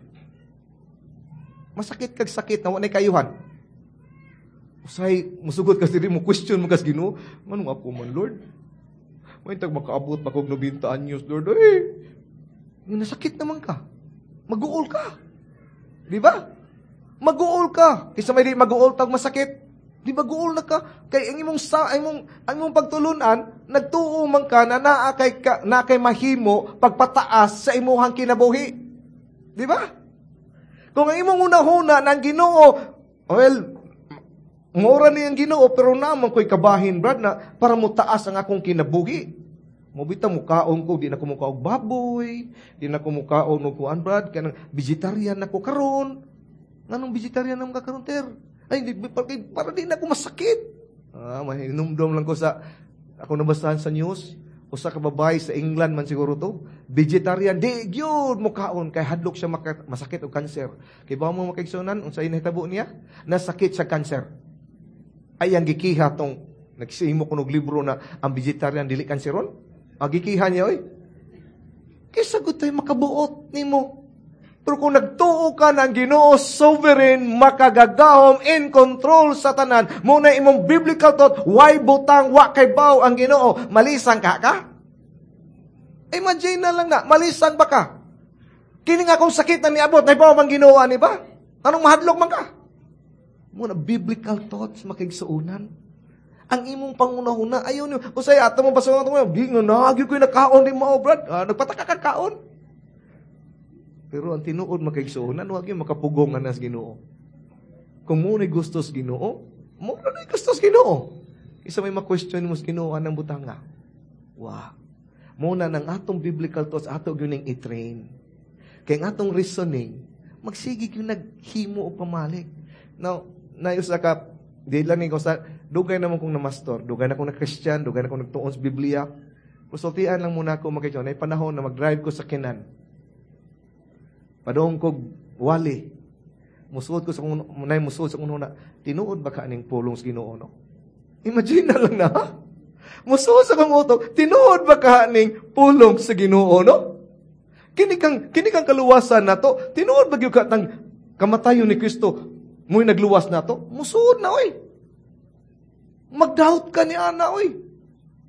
Masakit kag sakit na wa kayuhan. Usay, musugot ka diri mo question mo kas Ginoo, manong ako man Lord? May tag makaabot pa kog ninety anyos, Lord. Eh, nasakit naman ka. Mag-uol ka. Di ba? Mag-uol ka. Kaysa may di mag-uol tag masakit. Di mag-uol na ka. Kay ang imong sa ang imong ang imong pagtulunan, nagtuo man ka na naa kay ka, naa kay mahimo pagpataas sa imuhang kinabuhi. Di ba? Kung ang imong hunahuna ng Ginoo, well, mura ni ang Ginoo pero naman ko'y kabahin, brad, na para mo taas ang akong kinabuhi. Mobita mukaon ko, di na ko mukaog baboy, di na ko mukaon og kuan, brad, kanang vegetarian na ko karon. Nganong vegetarian naman ka karon, ter? Ay, di, para, para di na ako masakit. Ah, mahinumdom lang ko sa, ako nabasahan sa news, usa ka babae sa England man siguro to, vegetarian, di gyud mukaon kay hadlok siya maka, masakit og kanser. Kay ba mo makaigsunan unsay nahitabo niya? Nasakit sa kanser. Ay ang gikiha tong nagsihimo ko og libro na ang vegetarian dili kanseron. Ang gikiha niya oy. Kaysa gud tay makabuot nimo. Pero kung nagtuo ka ng Ginoo sovereign, makagagahom, in control sa tanan, muna imong biblical thought, why butang, wa kay baw ang Ginoo, malisang ka ka? Imagine na lang na, malisang ba ka? Kini nga kung sakit na niabot, naibaw mang Ginoo ani ba? Anong mahadlok man ka? Muna biblical thoughts makigsuonan. Ang imong pangunahuna, ayaw niyo. Usay, ato mo basuhan ito mo, di nga, nagyo ko'y nakaon di mo, brad. Ah, nagpataka ka kaon. Pero ang tinuod makaigsuonan, huwag yung makapugong nga nas Ginoo. Kung mo na'y gusto sa Ginoo, mo na'y gusto sa Ginoo. Isa may ma-question mo sa Ginoo anang butanga. Wow. Muna ng atong biblical thoughts, ato gyud ning i-train. Kaya ang atong reasoning, magsige gyud naghimo o pamalik. Now, nayos ka, di lang ni ko sa, dugay naman kong na-mastor, dugay na kong na-Christian, dugay na kong nagtuon sa Biblia. Kusultian lang muna ako makikita. Nay panahon na mag-drive ko sa Kinan. Padung kog wali. Musuod ko sa kung nay musuod sa kung una, tinuod ba ka aning pulong sa Ginoo no? Imagine na lang na. Ha? Musuod sa kong utok, tinuod ba ka aning pulong sa Ginoo no? Kini kang kini kang kaluwasan nato, tinuod ba gyud ka tang kamatayon ni Kristo mo'y nagluwas nato? Musuod na oy. Magdoubt ka ni ana oy.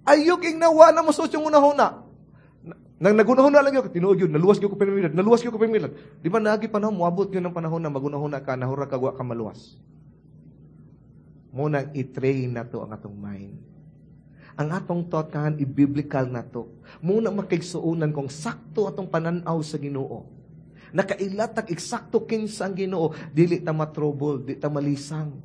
Ayok ing nawa na musuod yung unahuna. Nang nagunahuna lang yun, tinuod yun, naluwas gyud ko pirmi, naluwas gyud ko pirmi. Di ba naagi panahon, moabot yun ng panahon na magunahuna ka, nahura ka, wa ka maluwas. Mao nang i-train nato ang atong mind. Ang atong thought kahan, i-biblical nato. Mao na makaigsuonan kung sakto atong pananaw sa Ginoo. Nakailatag eksakto kinsa ang Ginoo, dili ta ma-trouble, di ta malisang.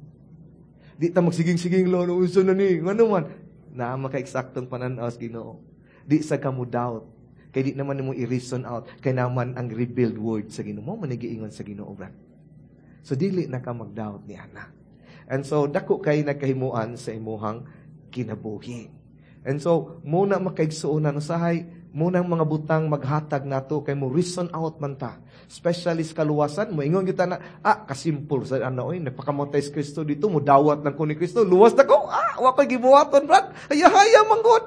Di ta magsiging-siging lo, no, unsa na ni, ngano man, naa maka-eksaktong pananaw sa Ginoo. Di sa ka mo doubt. Kay di naman nimo i-reason out, kay naman ang revealed word sa Ginoo. Mao man giingon sa Ginoo, brad. So dili na ka mag-doubt ni ana. And so dako kay nagkahimuan sa imuhang kinabuhi. And so mao na makaigsuonan usahay mao nang mga butang maghatag nato kay mo reason out man ta. Especially sa kaluwasan, mo ingon kita na ah kasimpol sa ano oy nagpakamatay si Kristo dito mo dawat lang ko ni Kristo luwas na ko ah wa koy gibuhaton brad haya-haya man gud.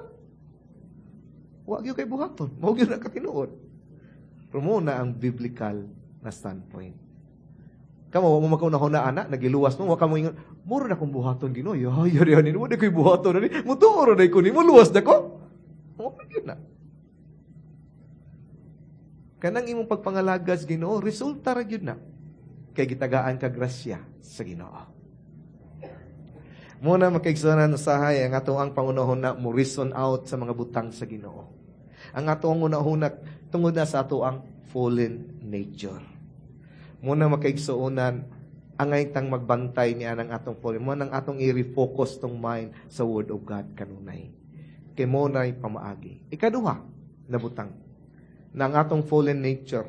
Wa gyud kay buhaton mao gyud na katinuod. Pero mao na ang biblical na standpoint. Kamo wa mo makauna-huna ana nagiluwas mo wa ka mo ingon mura na kong buhaton Ginoo ya ya ya ni mo di koy buhaton ani mutuo ra ko nimo luwas na ko. Mao gyud na. Kanang imong pagpangalagas Ginoo resulta ra gyud na kay gitagaan ka grasya sa Ginoo. Mao na makaigsuonan usahay ang ato ang pangunahuna mo reason out sa mga butang sa Ginoo. Ang ato ang unahuna tungod na sa ato ang fallen nature. Mao na makaigsuonan angay tang magbantay niya ng atong fallen. Mao nang atong i-refocus tong mind sa Word of God kanunay. Kay mao na'y pamaagi. Ikaduha na butang na ang atong fallen nature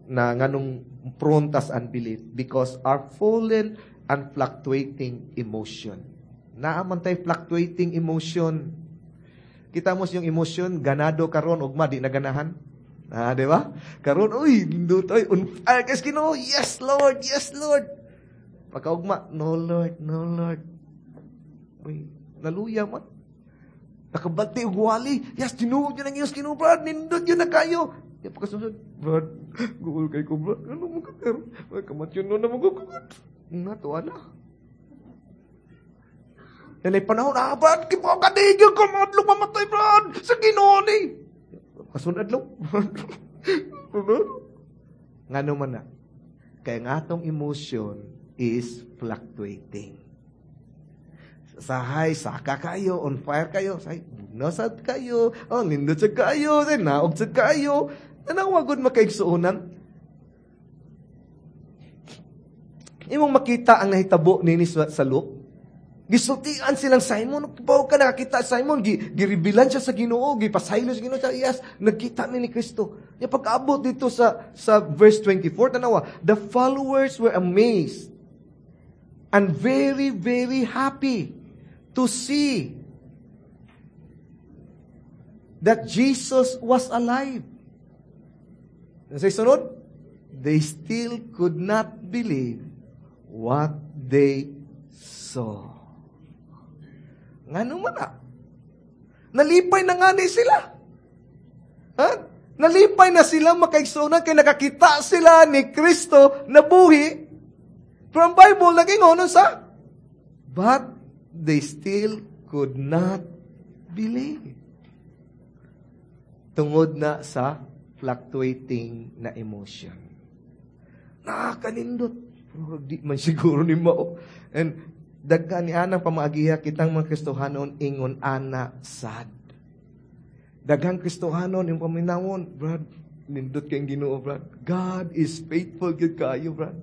na nganong prone tas unbelief because our fallen and fluctuating emotion. Naa man tay fluctuating emotion. Kita mo yung emotion, ganado karon ugma di na ganahan. Ah, di ba? Karon, uy, nindot, oy, on fire kas Ginoo. Yes, Lord, yes, Lord. Pagkaugma, no, Lord, no, Lord. Uy, naluya man. Nakabati og wali. Yes, tinuod yun ang iyos Ginoo, brad. Nindot yun na kayo. Di pa kasunod, brad, guol kay ko, brad. Ano mo ka, pero, kamatyon no na mo ko, Natuwa na. Nanay panahon, ah, brad, kipa kadigyo ko, madlong mamatay, brad, sa Ginoo ni. Kasunod adlaw. Ngano man na. Kaya ang atong emotion is fluctuating. Sahay, saka kayo, on fire kayo, say, nasad kayo, oh, nindot sa kayo, say, naog sa kayo. Tanawa gud makaigsuonan. Imong makita ang nahitabo nini sa, sa Luke. Gisultian silang Simon, bawo ka nakakita Simon, gi, girevealan siya sa Ginoo, gipasaylo sa Ginoo, siya, yes, nagkita mi ni Kristo. Ya pag-abot dito sa sa verse twenty-four, tanawa, the followers were amazed and very, very happy to see that Jesus was alive. Sa sunod, they still could not believe what they saw. Ngano man na? Nalipay na nga ni sila. Ha? Nalipay na sila makaigsuonan kay nakakita sila ni Kristo na buhi. Pero ang Bible nag-ingon sa, but they still could not believe. Tungod na sa fluctuating na emotion. Nakakanindot. Pero di man siguro ni mao. And daghan ni anang pamaagiha kitang mga Kristohanon ingon ana sad. Daghang Kristohanon yung paminawon, brad, nindot kay Ginoo, brad. God is faithful gyud kaayo, brad.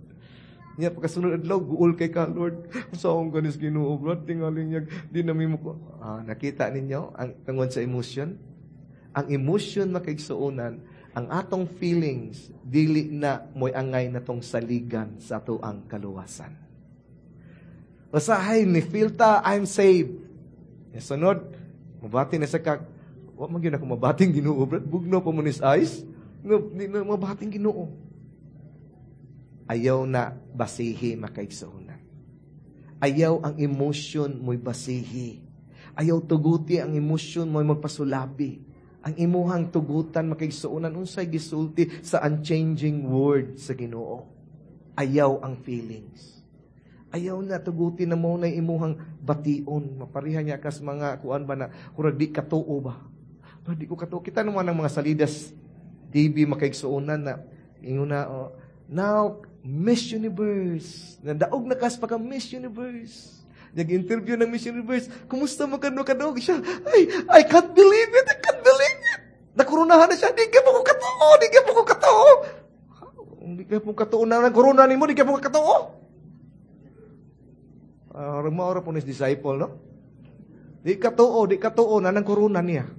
Nya pagkasunod adlaw guol kay ka, Lord. Unsaon ganis Ginoo, brad, tingali niya di na mimo ko. Ah, nakita ninyo ang tungod sa emotion? Ang emotion makaigsuonan, ang atong feelings dili na moy angay natong saligan sa atoang kaluwasan. Usahay ni feel ta I'm saved. Sunod, mabati na sa kag, wa man gyud ako mabating Ginoo, brad. Bugnaw pa mo ni eyes. No, di na mabating Ginoo. Ayaw na basihi makaigsuonan. Ayaw ang emotion mo'y basihi. Ayaw tuguti ang emotion mo'y magpasulabi. Ang imuhang tugutan makaigsuonan unsay gisulti sa unchanging word sa Ginoo. Ayaw ang feelings. Ayaw na tuguti na mo na imuhang bation. Mapariha niya kas mga kuan ba na kurag di katuo ba. Di ko katuo. Kita naman ang mga salidas T V makaigsuonan na ingon na, "Oh, now Miss Universe. Nadaog na kas pagka Miss Universe." Nag-interview ng Miss Universe. "Kumusta man ka no kadaog?" Siya, "Ay, I can't believe it. I can't believe it." Nakoronahan na siya. "Di ka mo ko katuo. Di ka mo ko katuo." Di ka mo katuo na ng corona nimo. Di ka mo katuo. Uh, Maura po ni disciple, no? Di katuo, di katuo na ng corona niya.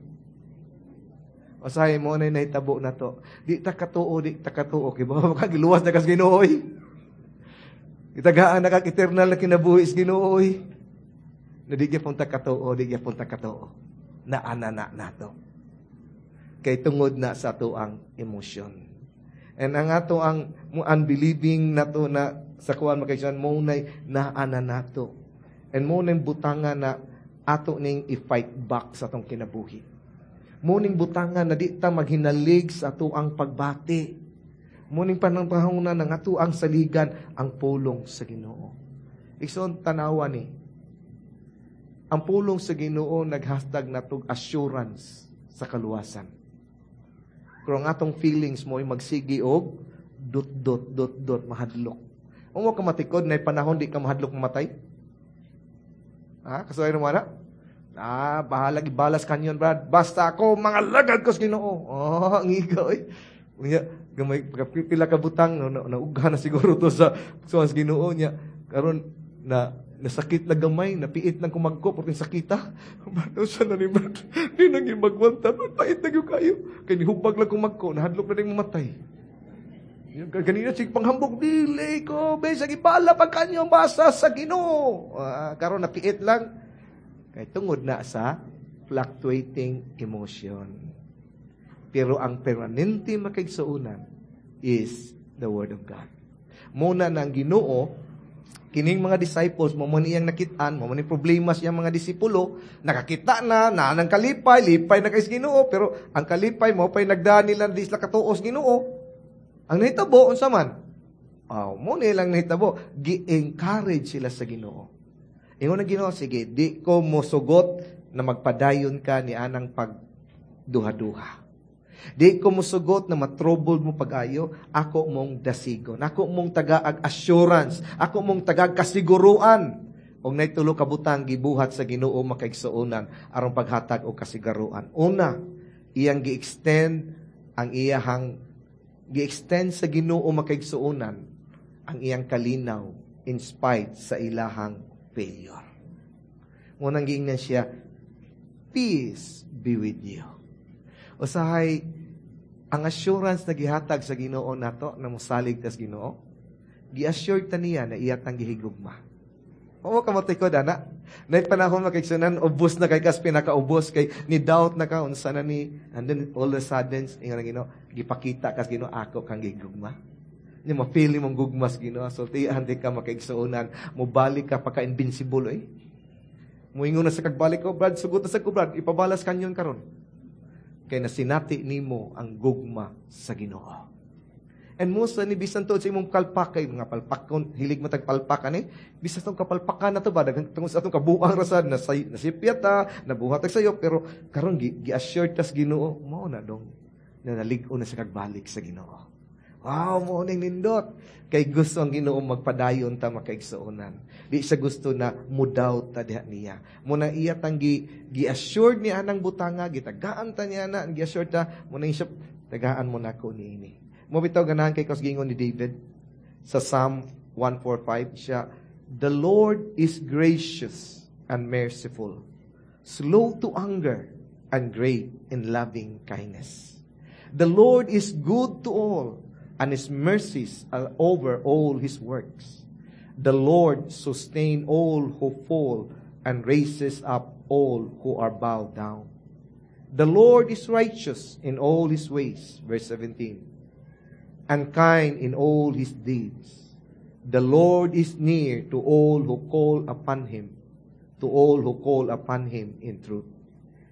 Usahay mo na nahitabo na to. Di ta katuo, di ta katuo. Kay baka makagiluwas na kas Ginoo. Itagaan na kag eternal na kinabuhi sa Ginoo. Na di gyapon ta katuo, di gyapon ta katuo. Na ana na nato. Kay tungod na sa ato ang emosyon. And ang ato ang unbelieving nato na sa kuan, makaigsuonan, mo nay naana nato. And mo nay butanga na ato ning i-fight back sa atong kinabuhi. Mo ning butanga na di ta maghinalig sa ato ang pagbati. Mo ning panahon na nga ato ang saligan ang pulong sa Ginoo. Igsoon, tanawa ni. Ang pulong sa Ginoo naghatag natog assurance sa kaluwasan. Pero ang atong feelings mo ay magsigi og dot dot dot dot, mahadlok. Kung mo ka matikod na panahon di ka mahadlok mamatay. Ha? Kasuhay naman na? "Ah, bahala ibalas kanyon, Brad. Basta ako mga lagad ko sa Ginoo." Oh, ang igaw eh. Unya, gamay pila ka butang no, na, naugha na siguro to sa sa Ginoo niya. Karon na nasakit lang gamay, napiit lang kumagko porque sakita. "Bato siya na ni Brad. Di nang magwanta, pait na gyud kayo. Kay nihubag lang kumagko, nahadlok na rin mamatay." Ganina sig panghambog, "Dili ko, bisag ibala pag kanyo, basta sa Ginoo." Uh, karon napiit lang kay tungod na sa fluctuating emotion. Pero ang permanente, makaigsuonan, is the Word of God. Muna ng Ginoo, kining mga disciples, mo man iyang nakitaan, mo man problema siyang mga disipulo, nakakita na, na ng kalipay, lipay na kay Ginoo, pero ang kalipay mo pa'y nagdaan nila di sila katuos Ginoo. Ang nahitabo, unsa man? Oh, mo nilang nahitabo, gi-encourage sila sa Ginoo. Ingon ang Ginoo, "Sige, di ko mosugot na magpadayon ka ni anang pagduha-duha. Di ko mosugot na matrouble mo pag-ayo, ako mong dasigon. Ako mong tagaag assurance, ako mong tagaag kasiguruan." Og nay tulo ka butang gibuhat sa Ginoo, makaigsuonan, aron paghatag og kasiguruan. Una, iyang gi-extend ang iyahang gi-extend sa Ginoo, makaigsuonan, ang iyang kalinaw in spite sa ilahang failure. Munang giingnan siya, "Peace be with you." Usahay, ang assurance na gihatag sa Ginoo nato na mosalig tas Ginoo, gi-assure ta niya na iya tang gihigugma. Oo ka matikod ana. Nay panahon, makaigsuonan, ubos na kay kas pinakaubos kay ni doubt na ka unsa na ni, and then all of a sudden ingon ang Ginoo, gipakita kas Ginoo, "Ako kang gigugma." Ni ma-feel mong gugmas Ginoo, sultihan di ka, makaigsuonan, mobalik ka pagka invincible eh. Muingon na sa kagbalik ko, "Brad, sugot na sa ko, Brad, ipabalas kanyon karon." Kay nasinati nimo ang gugma sa Ginoo. And most ni bisan tuod sa imong kalpak kay mga palpakon, hilig mo tag palpakan eh. Bisan tong kapalpakan na to ba, daghang tungod sa atong kabuang rasad na nasipyat ta, nabuhat ta sayo, pero karon gi, gi-assure tas Ginoo, mao na dong na nalig-on na sa kagbalik sa Ginoo. Wow, mo ning nindot. Kay gusto ang Ginoo magpadayon ta, makaigsuonan. Di siya gusto na mudaw ta diha niya. Muna iya tang gi, gi-assured niya anang butanga, gitagaan ta niya na, gi-assured ta, muna siya, "Tagaan mo na ko niini." Mo bitaw ganahan kay kos gingon ni David sa Psalm one forty-five siya, "The Lord is gracious and merciful, slow to anger and great in loving kindness. The Lord is good to all, and His mercies are over all His works. The Lord sustain all who fall and raises up all who are bowed down. The Lord is righteous in all His ways," verse seventeen, "and kind in all His deeds. The Lord is near to all who call upon Him, to all who call upon Him in truth.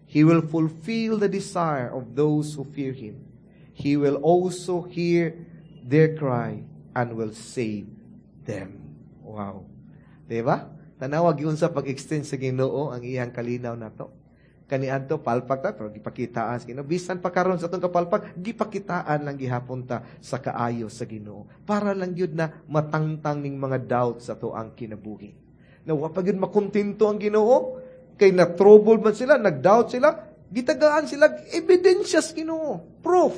He will fulfill the desire of those who fear Him. He will also hear their cry and will save them." Wow. Diba? Tanawag yun sa pag-extend sa Ginoo ang iyang kalinaw nato. Kaniadto palpak ta pero gipakitaan sa Ginoo. Bisan pa karon sa atong kapalpak, gipakitaan lang gihapon ta sa kaayo sa Ginoo. Para lang gyud na matangtang ning mga doubts sa atoang kinabuhi. Na wa pa gyud makontento ang Ginoo kay na trouble man sila, nag-doubt sila, gitagaan sila ebidensyas Ginoo, proof.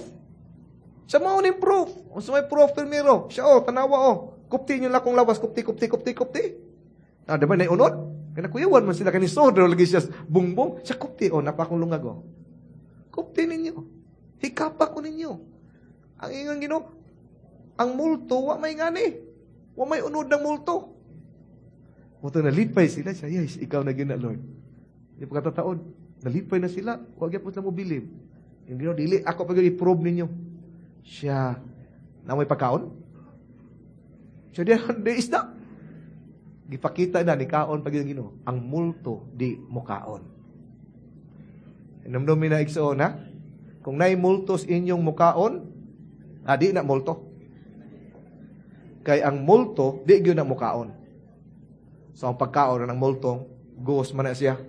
Sa mao ning proof. Unsa may proof primero? Siya oh, tanawa oh. Kupti niyo lang kong lawas, kupti, kupti, kupti, kupti. Ah, di ba na unod? Kaya nakuyawan man sila kani sodro lagi siya bungbong. Siya kupti oh, napa akong lungag oh. Kupti ninyo. Hikapa ko ninyo. Ang ingon Ginoo, ang multo wa may ngani. Wa may unod ng multo. Mao to nalipay sila siya, yes, ikaw na gyud na Lord. Di pa katataon. Nalipay na sila. Wa gyapon sila mo bilib. Yung Ginoo dili ako pa gyud i-prove ninyo. Siya na may pagkaon. Siya di, di isda. Gipakita na ni kaon pag Ginoo, ang multo di mukaon. Hinumdumi na igsoon ha? Kung naay multo sa inyong mukaon, ah, di na multo. Kay ang multo, di gyud na mukaon. So ang pagkaon ng multo, ghost man na siya.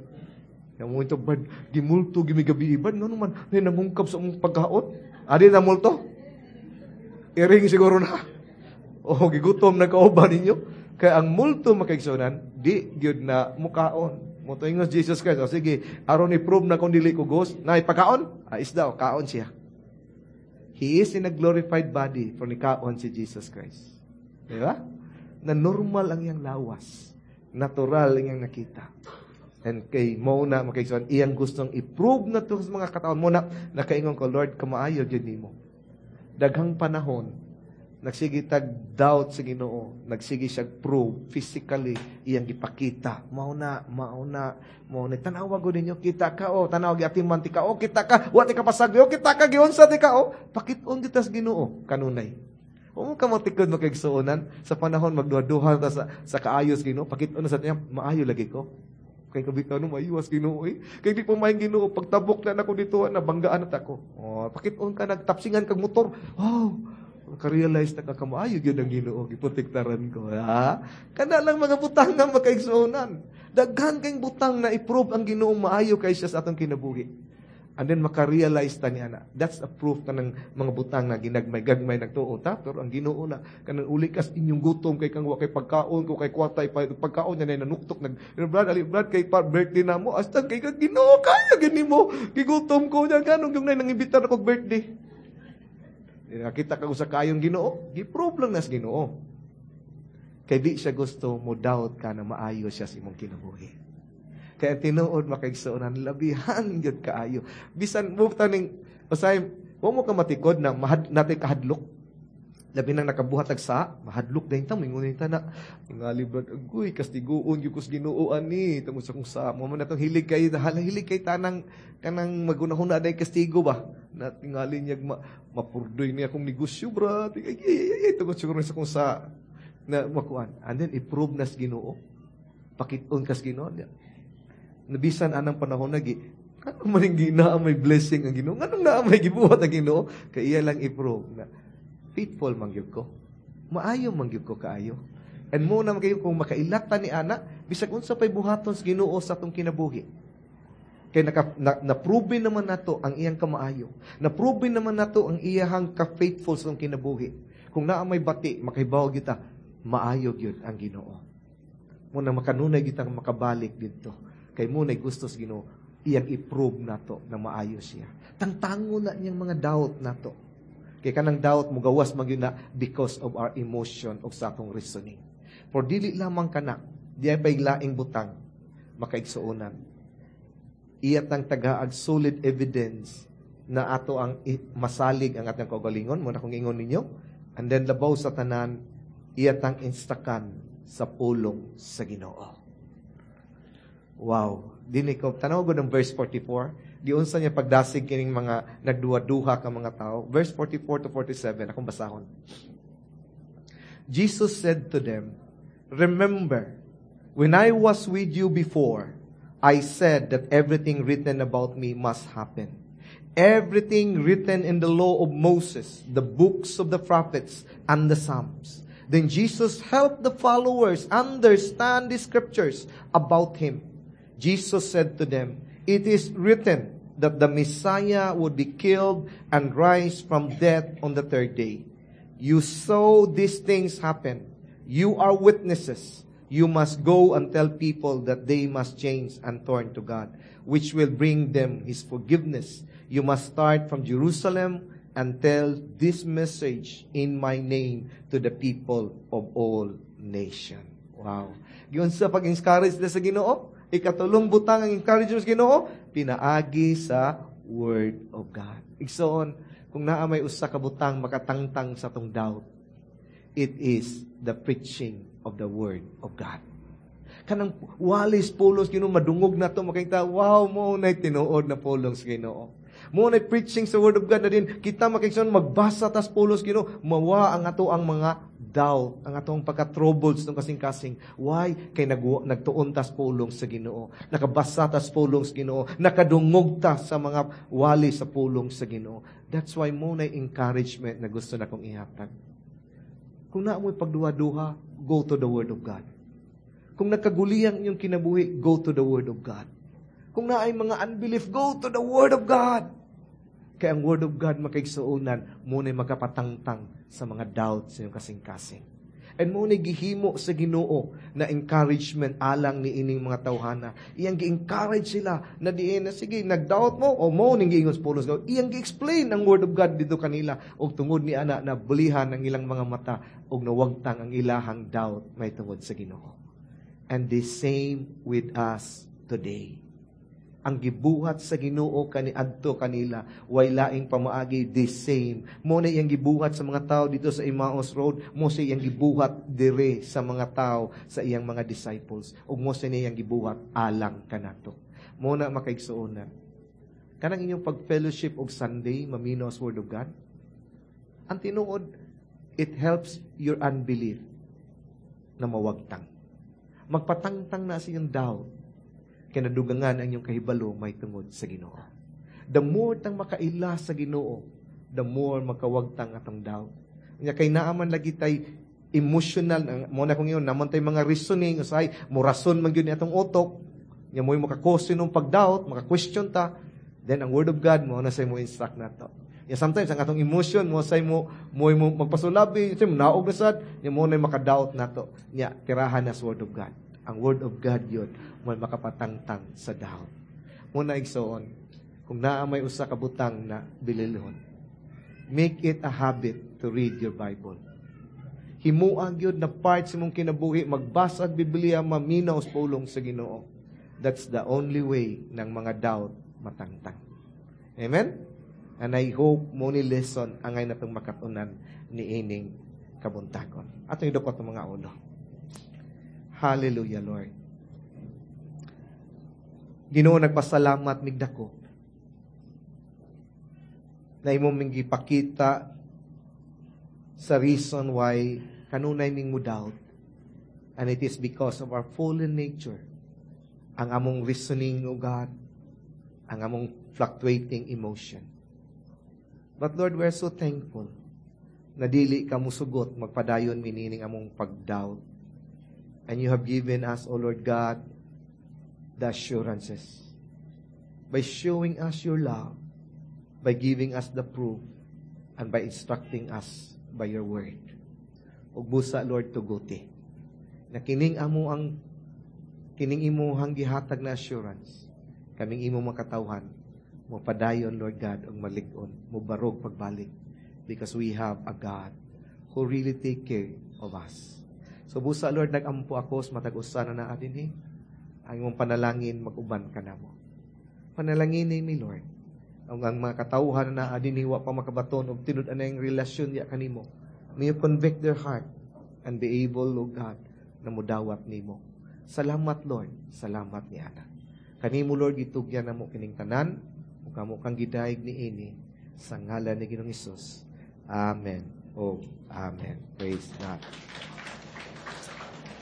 Yung momento, bad, gimulto, gimigabi, bad, ngano man, nay nangungkab sa among pagkaon. Ah, di na multo. Iring siguro na. O, gigutom na kauban ninyo. Kaya ang multo makaigsunan, di gyud na mukaon. Mao to ingon Jesus Christ. O sige, aron i-prove na kung dili ko ghost, na ipakaon? Ah, isda, o, kaon siya. He is in a glorified body for ni kaon si Jesus Christ. Di ba? Na normal ang iyang lawas. Natural ang iyang nakita. And kay mo na makaigsunan, iyang gustong i-prove na to sa mga kataon mo na nakaingon ko, Lord, kamaayo gyud nimo. Daghang panahon, nagsige tag doubt sa Ginoo, nagsige siya prove physically iyang gipakita. Mao na, mao na, mao na. Tanawa gud ninyo, kita ka oh, tanawa giatiman ti ka oh, kita ka, wa ti ka pasagdi oh, kita ka giunsa ti ka oh. Pakit-on kita sa Ginoo kanunay. Huwag mo ka matikod makaigsuonan sa panahon magduha-duha ta sa, sa kaayos Ginoo, pakit-on na sa niya, maayo lagi ko. Kay kabitaw no mayuwas Ginoo eh. Kay di pa maayong Ginoo pagtabok na nako dito nabanggaan na ta ko. Oh, pakit-on ka nagtapsingan kag motor. Oh, ka-realize na ka kamaayo gyud ang Ginoo giprotektaran ko. Ha? Kana lang mga butang nga makaigsuonan. Daghan kay butang na i-prove ang Ginoo maayo kay siya sa atong kinabuhi. And then maka-realize ta niya na that's a proof kanang mga butang na ginagmay-gagmay nagtuo ta pero ang Ginoo na kanang uli kas inyong gutom kay kang wa kay pagkaon ko kay kwarta pagkaon niya na nanuktok nag brad ali brad kay pa birthday na mo hasta kay kag Ginoo kaya gani mo gigutom ko niya ganong yung nang imbitar ako birthday. Nakita ka sa kayong Ginoo, gi-prove lang nas Ginoo. Kay di siya gusto mo doubt ka na maayo siya sa imong kinabuhi. Kaya tinuod makaigsuonan labihan gyud kaayo. Bisan mo taning usay wa mo ka matikod na mahad natay kahadlok. Labi nang nakabuhat ag sa mahadlok dayon ta mingon ta na tingali brad agoy kastiguon gyud ko sa Ginoo ani tungod sa kung sa mo man natong hilig kay hilig kay tanang kanang magunahuna day kastigo ba na tingali niya ma, mapurdoy niya akong negosyo brad ay, ay, ay, ay, tungod siguro sa kung sa na makuan and then i-prove nas Ginoo pakit-on kas Ginoo niya nabisan anang panahon nagi ano man yung ginaa may blessing ang Ginoo nganong naa may gibuhat ang Ginoo kay iya lang i-prove na faithful man gyud ko maayo man gyud ko kaayo and mo na kayo kung makailata ni ana bisag unsa pay buhaton sa Ginoo sa atong kinabuhi kay naka, na, na-prove naman nato ang iyang kamaayo na-prove naman nato ang iyahang ka-faithful sa atong kinabuhi kung naa may bati makahibaw gyud ta maayo gyud ang Ginoo mo na makanunay gyud tang makabalik didto kay mo na gusto sa Ginoo iyang i-prove nato na maayo siya tangtango na niyang mga doubt nato kay kanang doubt mo gawas man gyud na because of our emotion o sa atong reasoning for dili lamang kana di ay pay laing butang makaigsuonan iya tang tagaag solid evidence na ato ang masalig ang atong kaugalingon mo na kung ingon ninyo and then labaw sa tanan iya tang instakan sa pulong sa Ginoo Wow. Dini ko tanaw gud ang verse forty-four. Giunsa niya pagdasig kining mga nagduha-duha ka mga tao. Verse forty-four to forty-seven akong basahon. Jesus said to them, "Remember, when I was with you before, I said that everything written about me must happen. Everything written in the law of Moses, the books of the prophets, and the Psalms." Then Jesus helped the followers understand the scriptures about him. Jesus said to them, It is written that the Messiah would be killed and rise from death on the third day. You saw these things happen. You are witnesses. You must go and tell people that they must change and turn to God, which will bring them His forgiveness. You must start from Jerusalem and tell this message in my name to the people of all nation. Wow. Giunsa pag-encourage nila sa Ginoo? Ikatulong butang ang encouragement sa Ginoo, pinaagi sa Word of God. Igsoon, kung naa may usa ka butang makatangtang sa atong doubt, it is the preaching of the Word of God. Kanang walis pulong sa Ginoo madungog na to makita, wow mao na tinuod na pulong sa Ginoo. Mao na preaching sa Word of God na din kita makigsoon magbasa tas pulong sa Ginoo, mawa ang ato ang mga doubt, ang atong pagka-troubled sa kasing-kasing. Why? Kay nag nagtuon tas pulong sa Ginoo. Nakabasa tas pulong sa Ginoo. Nakadungog ta sa mga wali sa pulong sa Ginoo. That's why mao na encouragement na gusto na kong ihatag. Kung naa mo'y pagduha-duha, go to the Word of God. Kung nagkaguliyang inyong kinabuhi, go to the Word of God. Kung naay mga unbelief, go to the Word of God. Kaya ang Word of God makaigsuonan, mao na'y makapatangtang sa mga doubts sa inyong kasing-kasing. And mao na'y gihimo sa Ginoo na encouragement alang ni ining mga tawhana. Iyang gi-encourage sila na diin na sige, nag-doubt mo o mao ning giingon sa pulong. Iyang gi-explain ang Word of God dito kanila og tungod ni ana na bulihan ang ilang mga mata og nawagtang ang ilahang doubt may tungod sa Ginoo. And the same with us today ang gibuhat sa Ginoo kaniadto kanila way laing pamaagi the same mao na iyang gibuhat sa mga tao dito sa Emmaus Road mao sa iyang gibuhat dire sa mga tao sa iyang mga disciples ug mao sa iyang gibuhat alang kanato mao na makaigsuonan kanang inyong pag-fellowship og Sunday maminaw sa Word of God ang tinuod it helps your unbelief na mawagtang magpatangtang na sa iyong doubt kay nadugangan ang inyong kahibalo may tungod sa Ginoo. The more tang makaila sa Ginoo, the more makawagtang atong doubt. Nya kay naaman lagi tay emotional mao na kung ingon naman tay mga reasoning usay mo rason man gyud ni atong utok nya mo'y maka-cause ng pag-doubt, maka-question ta, then ang word of God mao na say mo instruct nato. Ya sometimes ang atong emotion mo say mo mo mo magpasulabi, say mo naog na sad, nya mao na maka-doubt nato. Nya tirahan na sa word of God. Ang word of God yun mo makapatangtang sa doubt. Mao na igsoon, kung naa may usa ka butang na bililhon, make it a habit to read your Bible. Himua gyud na part sa imong kinabuhi, magbasa og Biblia, maminaw sa pulong sa Ginoo. That's the only way ng mga doubt matangtang. Amen? And I hope mao ni lesson angay natong makatunan ni ining kabuntagon. Atong idukot ang mga ulo. Hallelujah, Lord. Ginoo nagpasalamat mig dako na imo ming gipakita sa reason why kanunay ming mo doubt. And it is because of our fallen nature. Ang among reasoning, O God, ang among fluctuating emotion. But Lord, we are so thankful na dili ka musugot magpadayon mi niining among pag-doubt. And you have given us, O Lord God, the assurances by showing us your love, by giving us the proof, and by instructing us by your word. Ug busa, Lord, tuguti. Na kining amo ang kining imuhang gihatag na assurance, kaming imo makatawhan, mo padayon, Lord God, og malig-on, mo barog pagbalik, because we have a God who really take care of us. So busa, Lord, nagampo ako sa matag usa na naa dinhi. Ang imong panalangin, mag-uban ka namo. Panalangin ni Lord. Ang, ang mga katawhan na naa dinhi wa pa makabaton og tinud-an ang relasyon niya kanimo. May you convict their heart and be able, O God, na mudawat nimo. Salamat, Lord. Salamat ni Ana. Kanimo, Lord, gitugyan namo kining tanan, ug kamo kang gidayeg ni ini sa ngalan ni Ginoong Hesus. Amen. Oh, amen. Praise God.